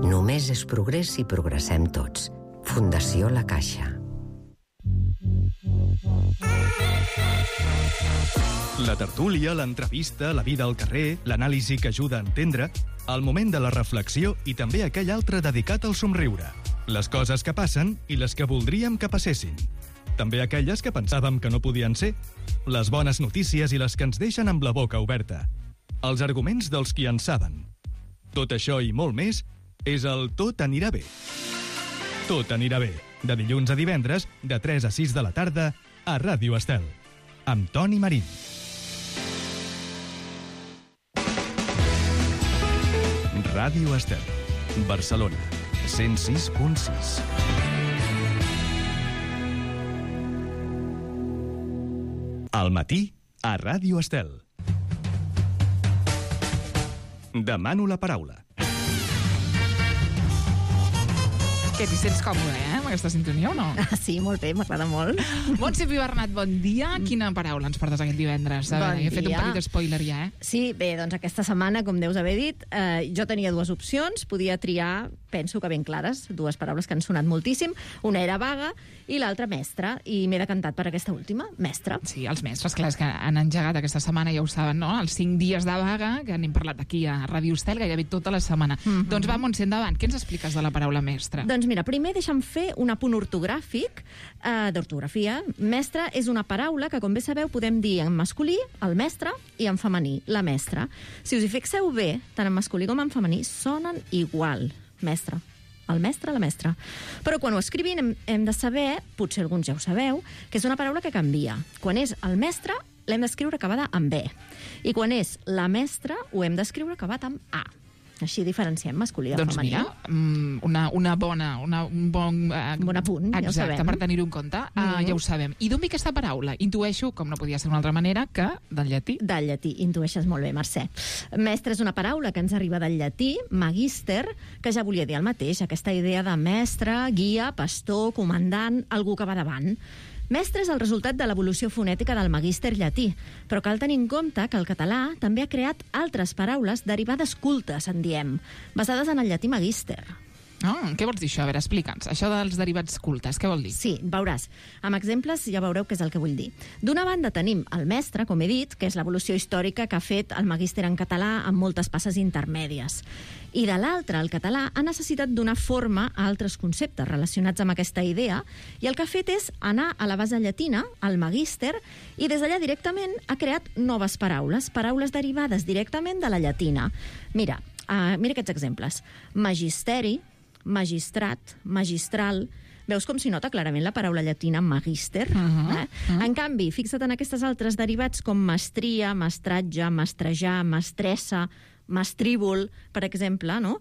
Només és progrés si progressem tots. Fundació La Caixa. La tertúlia, l'entrevista, la vida al carrer, l'anàlisi que ajuda a entendre, el moment de la reflexió i també aquell altre dedicat al somriure. Les coses que passen i les que voldríem que passessin. També aquelles que pensàvem que no podien ser. Les bones notícies i les que ens deixen amb la boca oberta. Els arguments dels qui en saben. Tot això i molt més és el Tot anirà bé. Tot anirà bé, de dilluns a divendres, de 3 a 6 de la tarda, a Ràdio Estel, amb Toni Marín. Ràdio Estel, Barcelona, 106.6. Al matí, a Ràdio Estel. Demano la paraula. Què, t'hi sents còmode, amb aquesta sintonia o no? Sí, molt bé, m'agrada molt. Montse Pibernat, bon dia. Quina paraula ens portes aquest divendres? A veure, he fet un petit spoiler ja, Sí, bé, doncs aquesta setmana, com deus haver dit, jo tenia dues opcions, podia triar, penso que ben clares, dues paraules que han sonat moltíssim. Una era vaga i l'altra mestra, i m'he decantat per aquesta última, mestra. Sí, els mestres, clar, és que han engegat aquesta setmana, ja ho saben, no? Els 5 dies de vaga, que n'hem parlat aquí a Ràdio Estel gairebé tota la setmana. Doncs va, Montse, endavant. Què ens expliques de la paraula mestra? Doncs mira, primer deixa'm fer un apunt ortogràfic d'ortografia. Mestra és una paraula que, com bé sabeu, podem dir en masculí, el mestre, i en femení, la mestra. Si us hi fixeu bé, tant en masculí com en femení, sonen igual. Mestre. El mestre, la mestra. Però quan ho escrivim hem de saber, potser alguns ja ho sabeu, que és una paraula que canvia. Quan és el mestre, l'hem d'escriure acabada amb B. I quan és la mestra, ho hem d'escriure acabat amb A. Així diferenciem masculí del femení. Doncs mira, un bon apunt, ja ho sabem. Exacte, per tenir-ho en compte, ja ho sabem. I d'on ve aquesta paraula? Intueixo, com no podia ser d'una altra manera, que del llatí. Del llatí, intueixes molt bé, Mercè. Mestre és una paraula que ens arriba del llatí, magister, que ja volia dir el mateix, aquesta idea de mestre, guia, pastor, comandant, algú que va davant. Mestre és el resultat de l'evolució fonètica del magíster llatí, però cal tenir en compte que el català també ha creat altres paraules derivades cultes, en diem, basades en el llatí magíster. Què vols dir això? A veure, explica'ns. Això dels derivats cultes, què vol dir? Sí, veuràs. Amb exemples ja veureu què és el que vull dir. D'una banda tenim el mestre, com he dit, que és l'evolució històrica que ha fet el magíster en català amb moltes passes intermèdies. I de l'altra, el català ha necessitat donar forma a altres conceptes relacionats amb aquesta idea i el que ha fet és anar a la base llatina, al magíster, i des d'allà directament ha creat noves paraules, paraules derivades directament de la llatina. Mira aquests exemples. Magisteri, magistrat, magistral. Veus com s'hi nota clarament la paraula llatina magister? En canvi, fixa't en aquestes altres derivats com mestria, mestratge, mestrejar, mestressa, mestríbol, per exemple, no?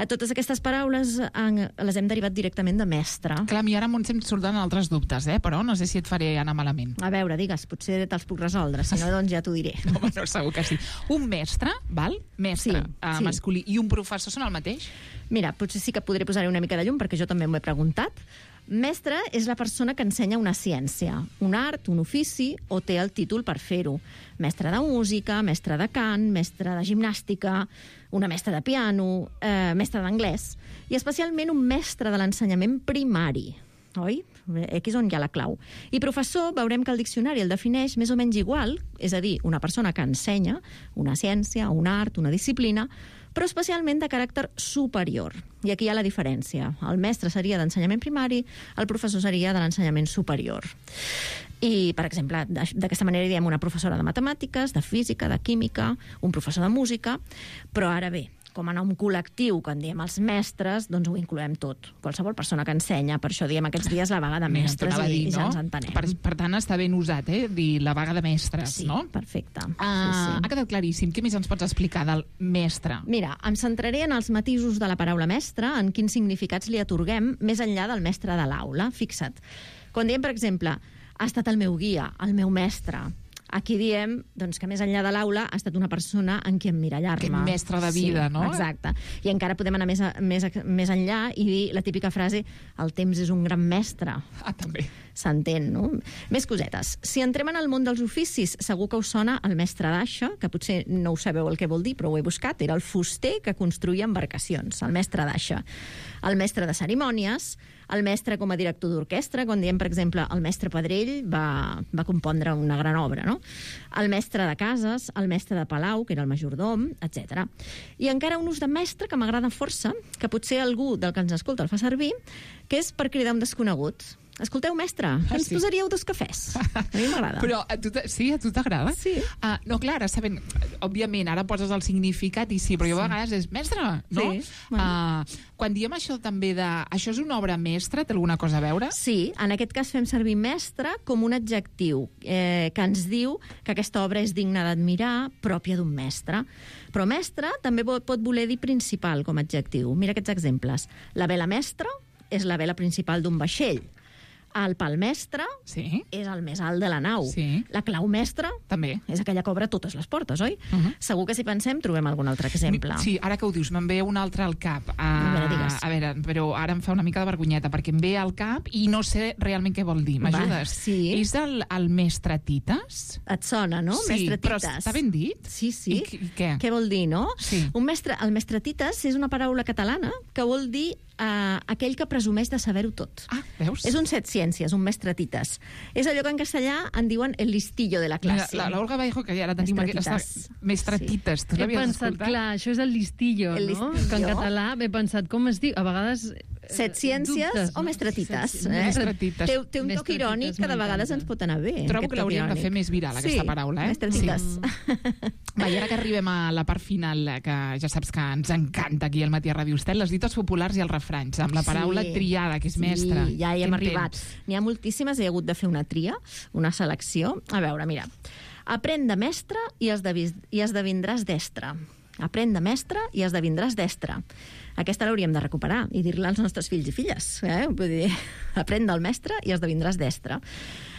Totes aquestes paraules les hem derivat directament de mestre. Clar, a mi ara Montse em surten altres dubtes, però no sé si et faré anar malament. A veure, digues, potser te'ls puc resoldre, si no, doncs ja t'ho diré. No, segur que sí. Un mestre, val? Mestre, masculí, i un professor són el mateix? Mira, potser sí que podré posar-hi una mica de llum, perquè jo també m'ho he preguntat. Mestre és la persona que ensenya una ciència, un art, un ofici, o té el títol per fer-ho. Mestre de música, mestre de cant, mestre de gimnàstica, una mestra de piano, mestre d'anglès, i especialment un mestre de l'ensenyament primari. Oi? Aquí és on hi ha la clau. I professor, veurem que el diccionari el defineix més o menys igual, és a dir, una persona que ensenya una ciència, un art, una disciplina, però especialment de caràcter superior. I aquí hi ha la diferència. El mestre seria d'ensenyament primari, el professor seria de l'ensenyament superior. I, per exemple, d'aquesta manera diem una professora de matemàtiques, de física, de química, un professor de música, però ara bé, com a nom col·lectiu, quan diem els mestres, doncs ho incloem tot. Qualsevol persona que ensenya, per això diem aquests dies la vaga de mestres i ja ens entenem. Per tant, està ben usat, dir la vaga de mestres, no? Sí, perfecte. Ha quedat claríssim. Què més ens pots explicar del mestre? Mira, em centraré en els matisos de la paraula mestre, en quins significats li atorguem més enllà del mestre de l'aula. Fixa't. Quan diem, per exemple, ha estat el meu guia, el meu mestre, aquí diem doncs, que més enllà de l'aula ha estat una persona en qui emmirallar-me. Aquest mestre de vida, sí, no? Exacte. I encara podem anar més enllà i dir la típica frase el temps és un gran mestre. També. S'entén, no? Més cosetes. Si entrem en el món dels oficis, segur que us sona el mestre d'aixa, que potser no ho sabeu el que vol dir, però ho he buscat. Era el fuster que construïa embarcacions, el mestre d'aixa. El mestre de cerimònies, El mestre com a director d'orquestra, quan diem, per exemple, el mestre Pedrell va compondre una gran obra, no? El mestre de cases, el mestre de palau, que era el majordom, etc. I encara un ús de mestre que m'agrada força, que potser algú del que ens escolta el fa servir, que és per cridar un desconegut. Escolteu, mestre, ens posaríeu 2 cafès. A mi m'agrada. Però a tu t'agrada? Sí. No, clar, ara sabent... Òbviament, ara poses el significat i sí, però jo a vegades és mestre, no? Sí. Bueno. Quan diem això també de... Això és una obra mestra? Té alguna cosa a veure? Sí, en aquest cas fem servir mestre com un adjectiu que ens diu que aquesta obra és digna d'admirar, pròpia d'un mestre. Però mestre també pot voler dir principal com a adjectiu. Mira aquests exemples. La vela mestra és la vela principal d'un vaixell. El pal mestre és el més alt de la nau. La clau mestra també és aquella que obre totes les portes, oi? Segur que si pensem trobem algun altre exemple. Sí, ara que ho dius, me'n ve un altre al cap. A veure, però ara em fa una mica de vergonyeta, perquè em ve al cap i no sé realment què vol dir. M'ajudes? Sí. És el mestre Tites? Et sona, no? Sí, mestre però Tites. està ben dit? Sí, sí. I què? Què vol dir, no? Sí. El mestre Tites és una paraula catalana que vol dir aquell que presumeix de saber-ho tot. Veus? És un set ciències, un mestre Tites. És allò que en castellà en diuen el listillo de la classe. Mira, la Olga Vallejo, que ja la tenim aquesta... Mestre Tites. Tu He l'havies pensat, escoltat? clar, això és el listillo, El no? listillo. Que en català m'he pensat, com es diu? A vegades... Set ciències dubtes, o mestre Tites. Mestre Tites. Té un toc irònic que de vegades ens pot anar bé. Trobo que l'hauríem de fer més viral, aquesta paraula. Mestre Tites. Va, i ara que arribem a la part final, que ja saps que ens encanta aquí al Matí a Ràdio Estel, les dites populars i els refranys, amb la paraula triada, que és mestre. Sí, ja hi hem arribat. N'hi ha moltíssimes, he hagut de fer una tria, una selecció. A veure, mira. Aprèn de mestre i esdevindràs destre. Aprèn de mestre i esdevindràs destre. Aquesta l'hauríem de recuperar i dir-la als nostres fills i filles. Vull dir, aprèn del mestre i esdevindràs destre.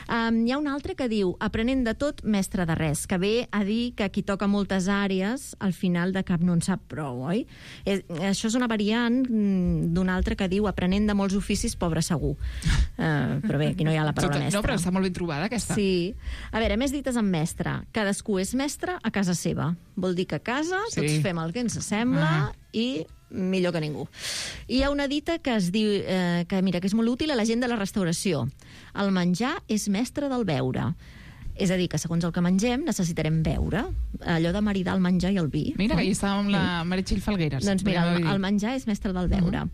Hi ha un altre que diu aprenent de tot, mestre de res, que ve a dir que qui toca moltes àrees al final de cap no en sap prou, oi? Això és una variant d'un altre que diu aprenent de molts oficis, pobre segur. Però bé, aquí no hi ha la paraula mestre. No, però està molt ben trobada, aquesta. Sí. A veure, més dites amb mestre. Cadascú és mestre a casa seva. Vol dir que a casa tots fem el que ens sembla i millor que ningú. Hi ha una dita que es diu que és molt útil a la gent de la restauració. El menjar és mestre del beure. És a dir, que segons el que mengem necessitarem beure. Allò de maridar el menjar i el vi. Mira, que hi estava amb la Meritxell Falgueres. Doncs mira, el menjar és mestre del beure.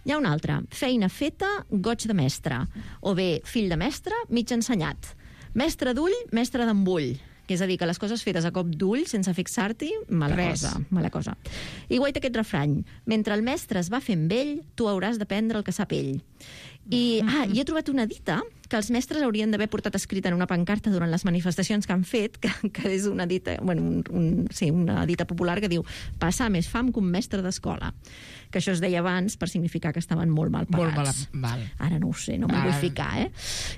Hi ha un altre. Feina feta, goig de mestre. O bé, fill de mestre, mig ensenyat. Mestre d'ull, mestre d'embull. Que és a dir, que les coses fetes a cop d'ull, sense fixar-t'hi, mala cosa. I guaita aquest refrany. Mentre el mestre es va fent vell, tu hauràs d'aprendre el que sap ell. I he trobat una dita que els mestres haurien d'haver portat escrita en una pancarta durant les manifestacions que han fet, que és una dita, una dita popular que diu passar més fam que un mestre d'escola. Que això es deia abans per significar que estaven molt mal pagats. Ara no ho sé, no m'hi vull ficar,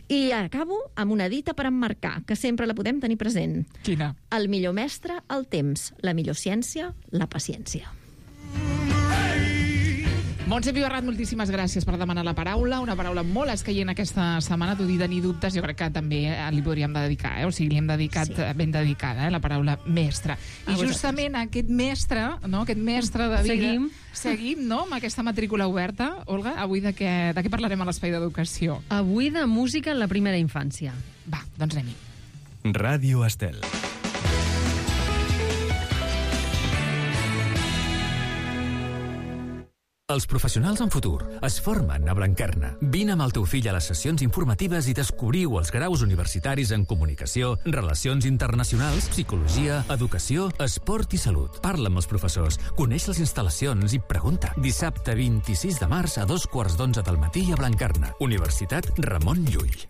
I acabo amb una dita per emmarcar, que sempre la podem tenir present. Quina? El millor mestre, el temps. La millor ciència, la paciència. Montse Pibarrat, moltíssimes gràcies per demanar la paraula, una paraula molt escaient aquesta setmana, tu dir tenir dubtes, jo crec que també li podríem dedicar, o sigui, li hem dedicat ben dedicada, la paraula mestre. I justament aquest mestre, no?, aquest mestre de vida... Seguim, no?, amb aquesta matrícula oberta. Olga, avui de què parlarem a l'Espai d'Educació? Avui de música en la primera infància. Va, doncs anem-hi. Ràdio Estel. Els professionals en futur es formen a Blanquerna. Vine amb el teu fill a les sessions informatives i descobriu els graus universitaris en comunicació, relacions internacionals, psicologia, educació, esport i salut. Parla amb els professors, coneix les instal·lacions i pregunta. Dissabte 26 de març a 2:15 del matí a Blanquerna. Universitat Ramon Llull.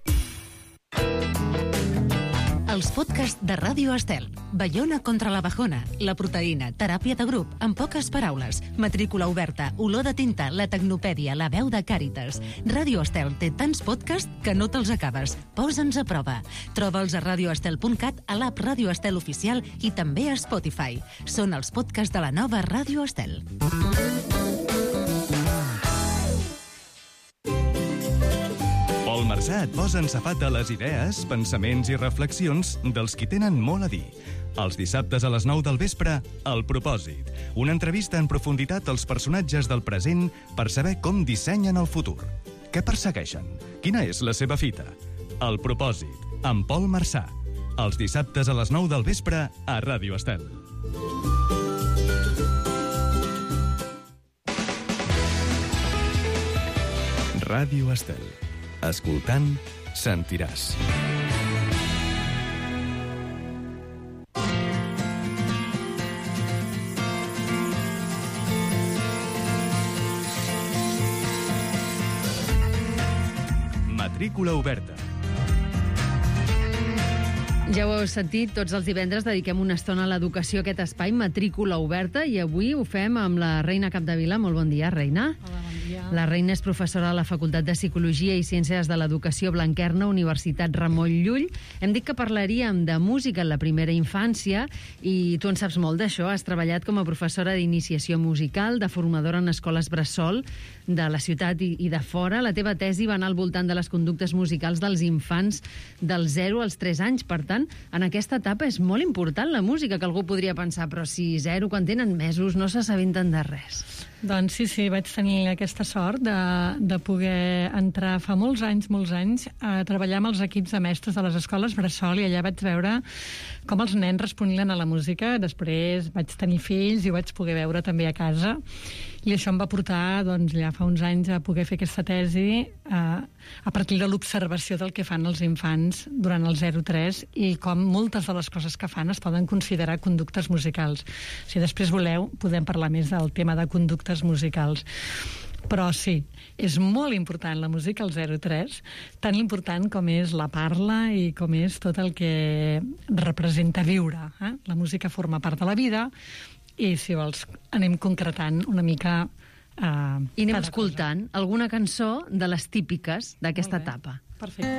Els podcasts de Ràdio Estel. Baiona contra la bajona, la proteïna, teràpia de grup, en poques paraules, matrícula oberta, olor de tinta, la tecnopèdia, la veu de Càritas. Ràdio Estel té tants podcasts que no te'ls acabes. Posa'ns a prova. Troba'ls a radioestel.cat, a l'app Ràdio Estel oficial i també a Spotify. Són els podcasts de la nova Ràdio Estel. Pol Marsà et posa en safat de les idees, pensaments i reflexions dels qui tenen molt a dir. Els dissabtes a les 9 del vespre, El Propòsit. Una entrevista en profunditat als personatges del present per saber com dissenyen el futur. Què persegueixen? Quina és la seva fita? El propòsit, amb Pol Marçà. Els dissabtes a les 9 del vespre a Ràdio Estel. Ràdio Estel. Escoltant, sentiràs. Matrícula oberta. Ja ho heu sentit, tots els divendres dediquem una estona a l'educació, a aquest espai, matrícula oberta, i avui ho fem amb la Reina Capdevila. Molt bon dia, Reina. Hola, bon dia. La Reina és professora a la Facultat de Psicologia i Ciències de l'Educació Blanquerna, Universitat Ramon Llull. Hem dit que parlaríem de música en la primera infància i tu en saps molt d'això. Has treballat com a professora d'iniciació musical, de formadora en escoles bressol de la ciutat i de fora. La teva tesi va anar al voltant de les conductes musicals dels infants dels 0 als 3 anys. Per tant, en aquesta etapa és molt important la música, que algú podria pensar, però si 0, quan tenen mesos, no s'assabenten de res. Doncs sí, vaig tenir aquesta sort de poder entrar fa molts anys a treballar amb els equips de mestres de les escoles bressol, i allà vaig veure com els nens responien a la música. Després vaig tenir fills i ho vaig poder veure també a casa. I això em va portar, doncs, ja fa uns anys a poder fer aquesta tesi a partir de l'observació del que fan els infants durant el 0-3 i com moltes de les coses que fan es poden considerar conductes musicals. Si després voleu, podem parlar més del tema de conductes musicals. Però sí, és molt important la música al 0-3, tan important com és la parla i com és tot el que representa viure. La música forma part de la vida, i, si vols, anem concretant una mica... I anem escoltant alguna cançó de les típiques d'aquesta etapa. Perfecte.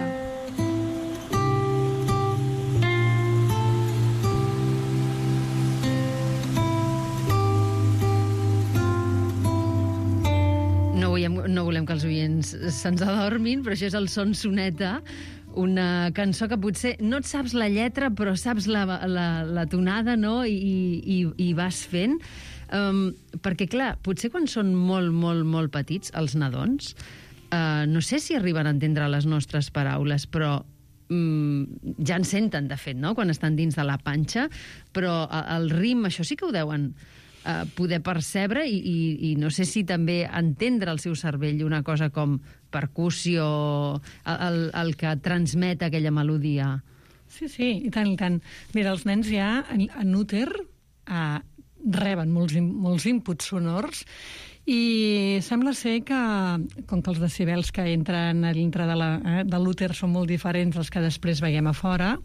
No volem que els oients se'ns adormin, però això és el Son Soneta, una cançó que potser no et saps la lletra, però saps la tonada, no? I vas fent. Perquè, clar, potser quan són molt petits, els nadons, no sé si arriben a entendre les nostres paraules, però ja en senten, de fet, no?, quan estan dins de la panxa, però el ritme, això sí que ho deuen poder percebre i no sé si també entendre el seu cervell una cosa com percussió, el que transmet aquella melodia. Sí, i tant, i tant. Mira, els nens ja en úter reben molts inputs sonors i sembla ser que, com que els decibels que entren a dintre de l'úter són molt diferents dels que després veiem a fora,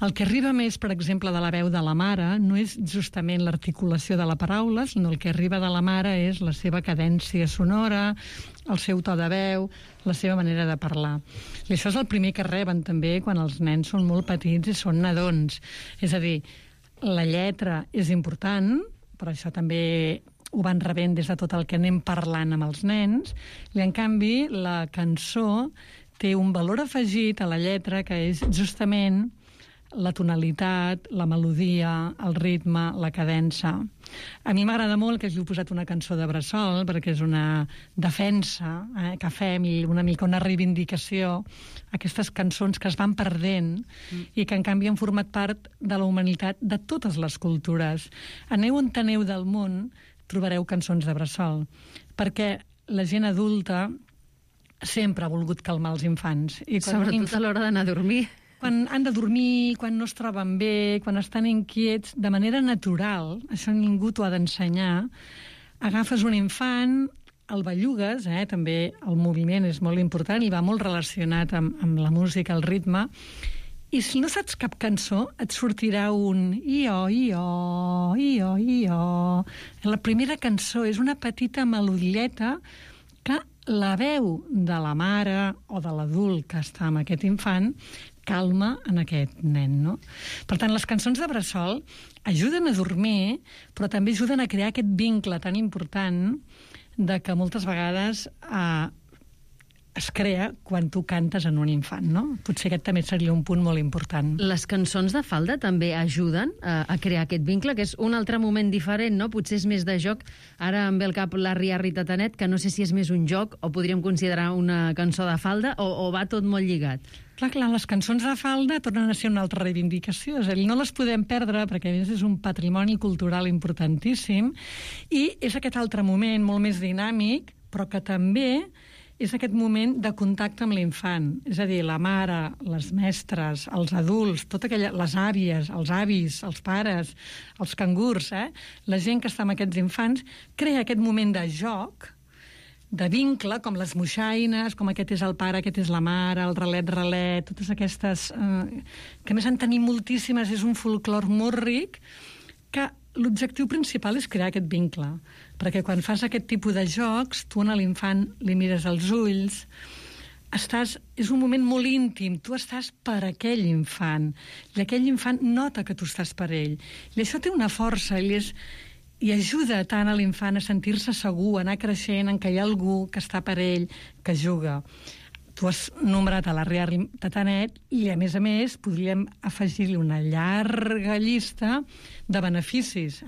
el que arriba més, per exemple, de la veu de la mare no és justament l'articulació de la paraula, sinó el que arriba de la mare és la seva cadència sonora, el seu to de veu, la seva manera de parlar. I això és el primer que reben també quan els nens són molt petits i són nadons. És a dir, la lletra és important, però això també ho van rebent des de tot el que anem parlant amb els nens, i en canvi la cançó té un valor afegit a la lletra que és justament la tonalitat, la melodia, el ritme, la cadença. A mi m'agrada molt que hàgiu posat una cançó de bressol, perquè és una defensa que fem i una mica una reivindicació, aquestes cançons que es van perdent i que en canvi han format part de la humanitat de totes les cultures. Aneu on aneu del món, trobareu cançons de bressol, perquè la gent adulta sempre ha volgut calmar els infants. I sobretot a l'hora d'anar a dormir. Quan han de dormir, quan no es troben bé, quan estan inquiets, de manera natural, això ningú t'ho ha d'ensenyar, agafes un infant, el bellugues, també el moviment és molt important i va molt relacionat amb la música, el ritme, i si no saps cap cançó, et sortirà un i-o, i-o, i-o, i-o. La primera cançó és una petita melodieta que la veu de la mare o de l'adult que està amb aquest infant calma en aquest nen, no? Per tant, les cançons de bressol ajuden a dormir, però també ajuden a crear aquest vincle tan important de que moltes vegades es crea quan tu cantes en un infant, no? Potser aquest també seria un punt molt important. Les cançons de falda també ajuden a crear aquest vincle, que és un altre moment diferent, no? Potser és més de joc. Ara em ve al cap l'Arri Tatanet, que no sé si és més un joc o podríem considerar una cançó de falda, o va tot molt lligat. Clar, les cançons de falda tornen a ser una altra reivindicació. És a dir, no les podem perdre perquè a més és un patrimoni cultural importantíssim i és aquest altre moment molt més dinàmic, però que també és aquest moment de contacte amb l'infant. És a dir, la mare, les mestres, els adults, les àvies, els avis, els pares, els cangurs, la gent que està amb aquests infants, crea aquest moment de joc, de vincle, com les moixaines, com aquest és el pare, aquest és la mare, el relet, totes aquestes... que a més en tenim moltíssimes, és un folclor molt ric, que l'objectiu principal és crear aquest vincle, perquè quan fas aquest tipus de jocs, tu a l'infant li mires als ulls, és un moment molt íntim, tu estàs per aquell infant, i aquell infant nota que tu estàs per ell. I això té una força, i ajuda tant a l'infant a sentir-se segur, a anar creixent, en què hi ha algú que està per ell, que juga. Tu has nombrat a l'Arri Tatanet i, a més, podríem afegir-li una llarga llista de beneficis.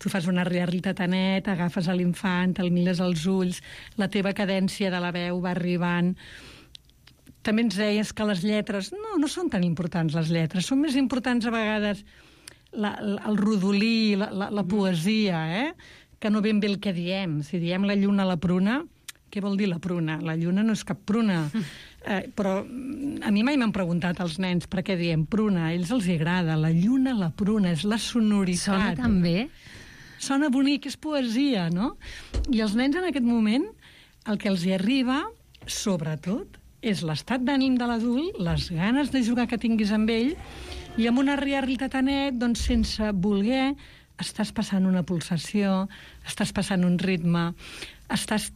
Tu fas un Arri Tatanet, agafes a l'infant, el mires als ulls, la teva cadència de la veu va arribant. També ens deies que les lletres no són tan importants, les lletres. Són més importants a vegades el rodolí, la poesia, que no ben bé el que diem. Si diem la lluna a la pruna, què vol dir la pruna? La lluna no és cap pruna. Però a mi mai m'han preguntat els nens per què diem pruna. A ells els agrada. La lluna, la pruna, és la sonoritat. Sona tan bé. Sona bonic, és poesia, no? I els nens en aquest moment, el que els hi arriba, sobretot, és l'estat d'ànim de l'adult, les ganes de jugar que tinguis amb ell, i amb una Arri Tatanet, doncs, sense voler, estàs passant una pulsació, estàs passant un ritme, estàs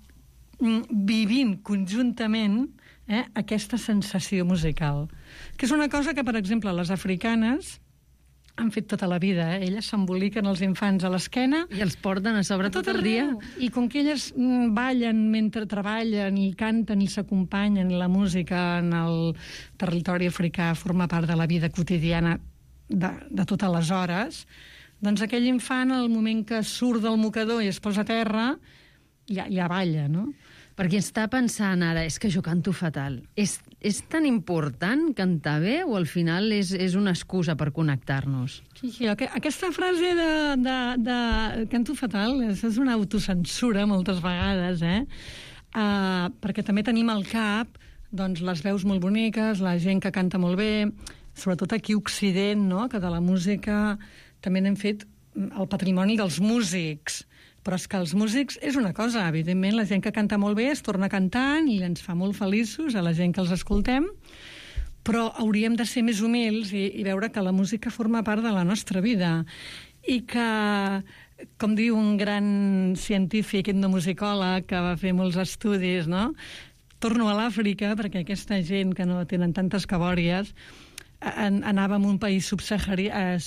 vivint conjuntament aquesta sensació musical. Que és una cosa que, per exemple, les africanes han fet tota la vida. Elles s'emboliquen els infants a l'esquena. I els porten a sobre tot el dia. I com que elles ballen mentre treballen i canten i s'acompanyen, la música en el territori africà forma part de la vida quotidiana de totes les hores, doncs aquell infant, al moment que surt del mocador i es posa a terra, ja balla, no? Perquè està pensant ara, és que jo canto fatal. És tan important cantar bé o al final és una excusa per connectar-nos? Sí, aquesta frase de canto fatal és una autocensura moltes vegades, perquè també tenim al cap doncs, les veus molt boniques, la gent que canta molt bé, sobretot aquí a Occident, no? Que de la música també n'hem fet el patrimoni dels músics. Però és que els músics és una cosa, evidentment, la gent que canta molt bé es torna cantant i ens fa molt feliços a la gent que els escoltem, però hauríem de ser més humils i veure que la música forma part de la nostra vida i que, com diu un gran científic etnomusicòleg que va fer molts estudis, no? Torno a l'Àfrica, perquè aquesta gent que no tenen tantes cabòries anava a un país subsaharià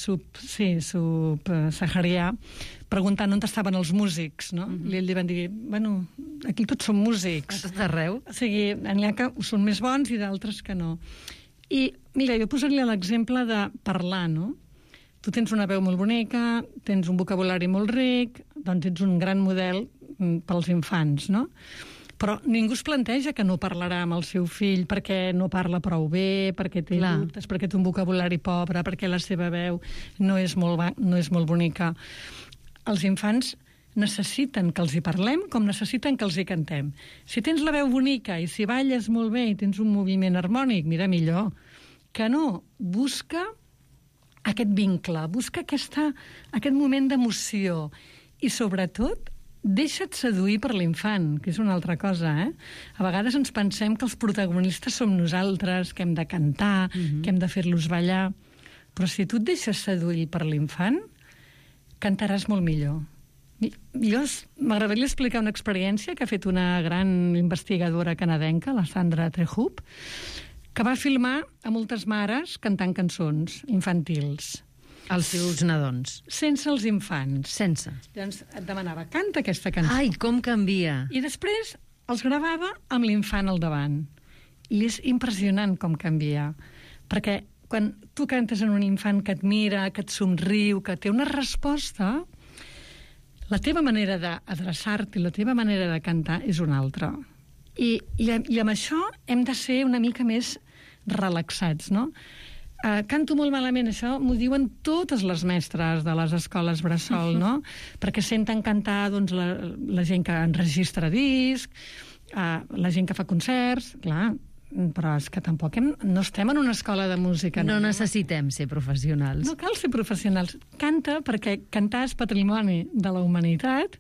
preguntant on estaven els músics, no? I ells li van dir, bueno, aquí tots som músics. A tot arreu. O sigui, n'hi ha que són més bons i d'altres que no. I, mira, jo posaria l'exemple de parlar, no? Tu tens una veu molt bonica, tens un vocabulari molt ric, doncs ets un gran model pels infants, no? Però ningú es planteja que no parlarà amb el seu fill perquè no parla prou bé, perquè té dubtes, perquè té un vocabulari pobre, perquè la seva veu no és molt bonica. Els infants necessiten que els hi parlem com necessiten que els hi cantem. Si tens la veu bonica i si balles molt bé i tens un moviment harmònic, mira, millor. Que no, busca aquest vincle, busca aquest moment d'emoció i, sobretot, deixa't seduir per l'infant, que és una altra cosa, A vegades ens pensem que els protagonistes som nosaltres, que hem de cantar, que hem de fer-los ballar, però si tu et deixes seduir per l'infant, cantaràs molt millor. M'agradaria explicar una experiència que ha fet una gran investigadora canadenca, la Sandra Trehub, que va filmar a moltes mares cantant cançons infantils. Els seus nadons. Sense els infants. Sense. Llavors et demanava, canta aquesta cançó. Ai, com canvia. I després els gravava amb l'infant al davant. I és impressionant com canvia. Perquè quan tu cantes en un infant que et mira, que et somriu, que té una resposta, la teva manera d'adreçar-te i la teva manera de cantar és una altra. I amb això hem de ser una mica més relaxats, no? Canto molt malament, això m'ho diuen totes les mestres de les escoles bressol, no? Perquè senten cantar doncs, la gent que enregistra disc, la gent que fa concerts, clar, però és que tampoc no estem en una escola de música. No necessitem ser professionals. No cal ser professionals. Canta perquè cantar és patrimoni de la humanitat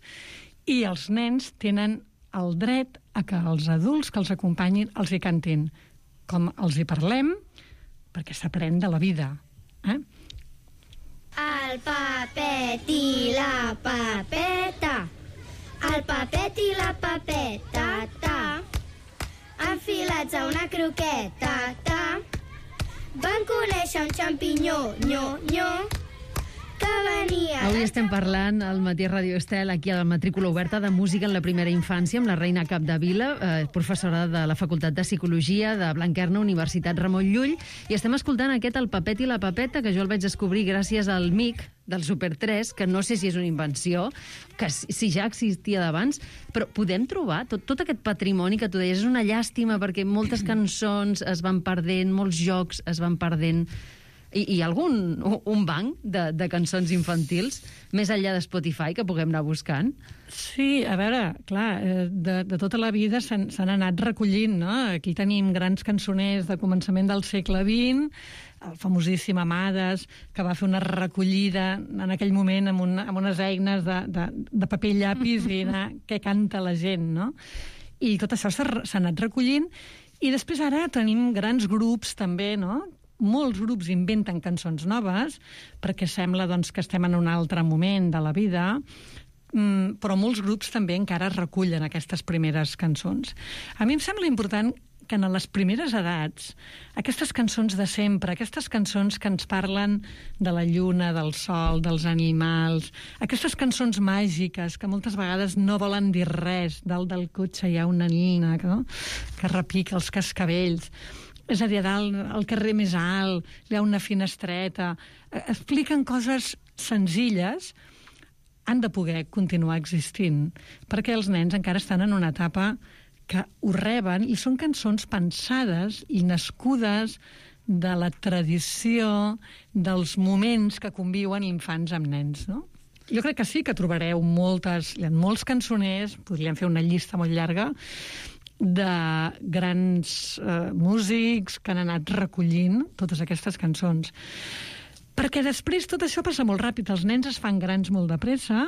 i els nens tenen el dret a que els adults que els acompanyin els hi cantin. Com els hi parlem, perquè s'aprèn de la vida. El papet i la papeta, el papet i la papeta, enfilats a una croqueta, van conèixer un xampinyó, que venia... Avui estem parlant al Matí a Radio Estel, aquí a la matrícula oberta de música en la primera infància, amb la Reina Capdevila, professora de la Facultat de Psicologia de Blanquerna, Universitat Ramon Llull, i estem escoltant aquest El papet i la papeta, que jo el vaig descobrir gràcies al MIC del Super 3, que no sé si és una invenció, que si ja existia d'abans, però podem trobar tot aquest patrimoni que tu deies. És una llàstima perquè moltes cançons es van perdent, molts jocs es van perdent, i un banc de cançons infantils, més enllà de Spotify, que puguem anar buscant? Sí, a veure, clar, de tota la vida s'han anat recollint, no? Aquí tenim grans cançoners de començament del segle XX, el famosíssim Amades, que va fer una recollida en aquell moment amb unes eines de paper i llapis i anar, què canta la gent, no? I tot això s'ha anat recollint, i després ara tenim grans grups també, no?, molts grups inventen cançons noves, perquè sembla doncs, que estem en un altre moment de la vida, però molts grups també encara recullen aquestes primeres cançons. A mi em sembla important que en les primeres edats, aquestes cançons de sempre, aquestes cançons que ens parlen de la lluna, del sol, dels animals, aquestes cançons màgiques que moltes vegades no volen dir res, dalt del cotxe hi ha una nina, no?, que repica els cascavells. És a dir, al carrer més alt, hi ha una finestreta. Expliquen coses senzilles, han de poder continuar existint, perquè els nens encara estan en una etapa que ho reben, i són cançons pensades i nascudes de la tradició dels moments que conviuen infants amb nens, no? Jo crec que sí que trobareu hi ha molts cançoners, podríem fer una llista molt llarga, de grans músics que han anat recollint totes aquestes cançons. Perquè després tot això passa molt ràpid. Els nens es fan grans molt de pressa.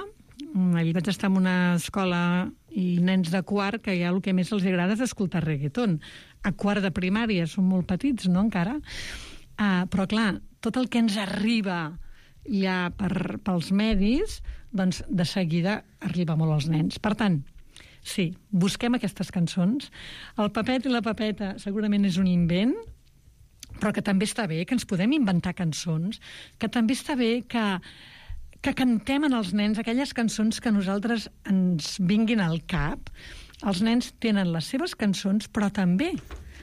Ahir vaig estar en una escola i nens de quart que ja el que més els agrada és escoltar reggaeton. A quart de primària, són molt petits, no, encara? Però, clar, tot el que ens arriba ja pels medis, doncs de seguida arriba molt als nens. Per tant, sí, busquem aquestes cançons. El papet i la papeta segurament és un invent, però que també està bé que ens podem inventar cançons, que també està bé que cantem en els nens aquelles cançons que a nosaltres ens vinguin al cap. Els nens tenen les seves cançons, però també,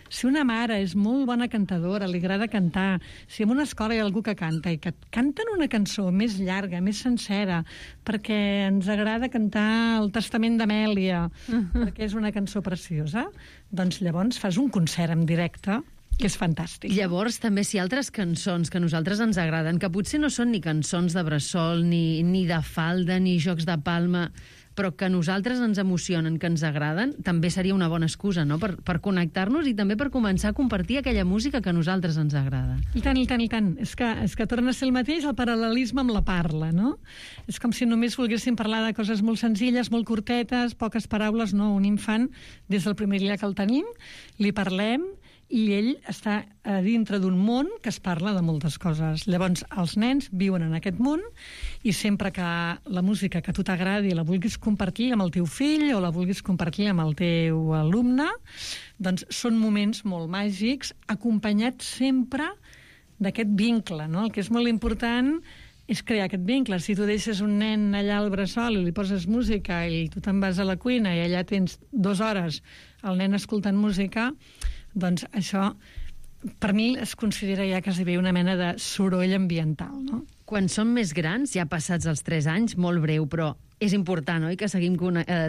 si una mare és molt bona cantadora, li agrada cantar, si en una escola hi ha algú que canta i que canten una cançó més llarga, més sencera, perquè ens agrada cantar el Testament d'Amèlia, perquè és una cançó preciosa, doncs llavors fas un concert en directe, que és fantàstic. Llavors, també, si altres cançons que a nosaltres ens agraden, que potser no són ni cançons de bressol, ni de falda, ni jocs de palma, però que a nosaltres ens emocionen, que ens agraden, també seria una bona excusa, no?, per connectar-nos i també per començar a compartir aquella música que a nosaltres ens agrada. I tant, i tant, i tant. És que torna a ser el mateix, el paral·lelisme amb la parla, no? És com si només volguéssim parlar de coses molt senzilles, molt curtetes, poques paraules, no. Un infant, des del primer dia que el tenim, li parlem, i ell està a dintre d'un món que es parla de moltes coses. Llavors, els nens viuen en aquest món i sempre que la música que a tu t'agradi la vulguis compartir amb el teu fill o la vulguis compartir amb el teu alumne, doncs són moments molt màgics, acompanyats sempre d'aquest vincle, no? El que és molt important és crear aquest vincle. Si tu deixes un nen allà al bressol i li poses música i tu te'n vas a la cuina i allà tens 2 hores el nen escoltant música, doncs això, per mi, es considera ja quasi bé una mena de soroll ambiental, no? Quan som més grans, ja passats els 3 anys, molt breu, però és important, oi?, que seguim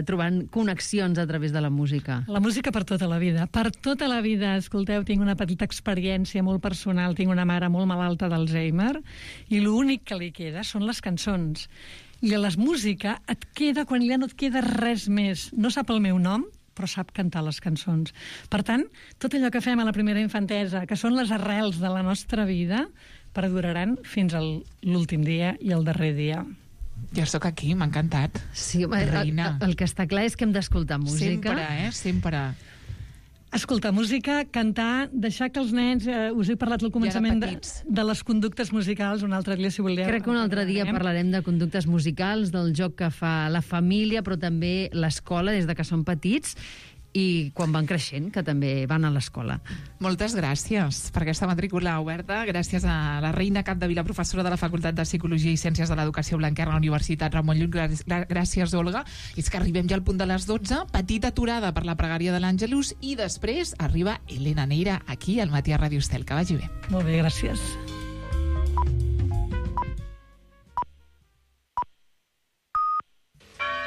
trobant connexions a través de la música. La música per tota la vida. Per tota la vida, escolteu, tinc una petita experiència molt personal. Tinc una mare molt malalta d'Alzheimer i l'únic que li queda són les cançons. I a la música et queda quan ja no et queda res més. No sap el meu nom, però sap cantar les cançons. Per tant, tot allò que fem a la primera infantesa, que són les arrels de la nostra vida, perduraran fins a l'últim dia i el darrer dia. Jo sóc aquí, m'ha encantat. Sí, el que està clar és que hem d'escoltar música. Sempre, sempre. Escoltar música, cantar, deixar que els nens... us he parlat al començament de les conductes musicals, un altre dia, si voleu. Crec que un altre dia parlarem de conductes musicals, del joc que fa la família, però també l'escola, des de que són petits, i quan van creixent, que també van a l'escola. Moltes gràcies per aquesta matrícula oberta. Gràcies a la Reina Capdevila, professora de la Facultat de Psicologia i Ciències de l'Educació Blanquerna a la Universitat Ramon Llull. Gràcies, Olga. És que arribem ja al punt de les 12, petita aturada per la pregària de l'Àngelus, i després arriba Elena Neira aquí al Matí a Ràdio Estel. Que vagi bé. Molt bé, gràcies.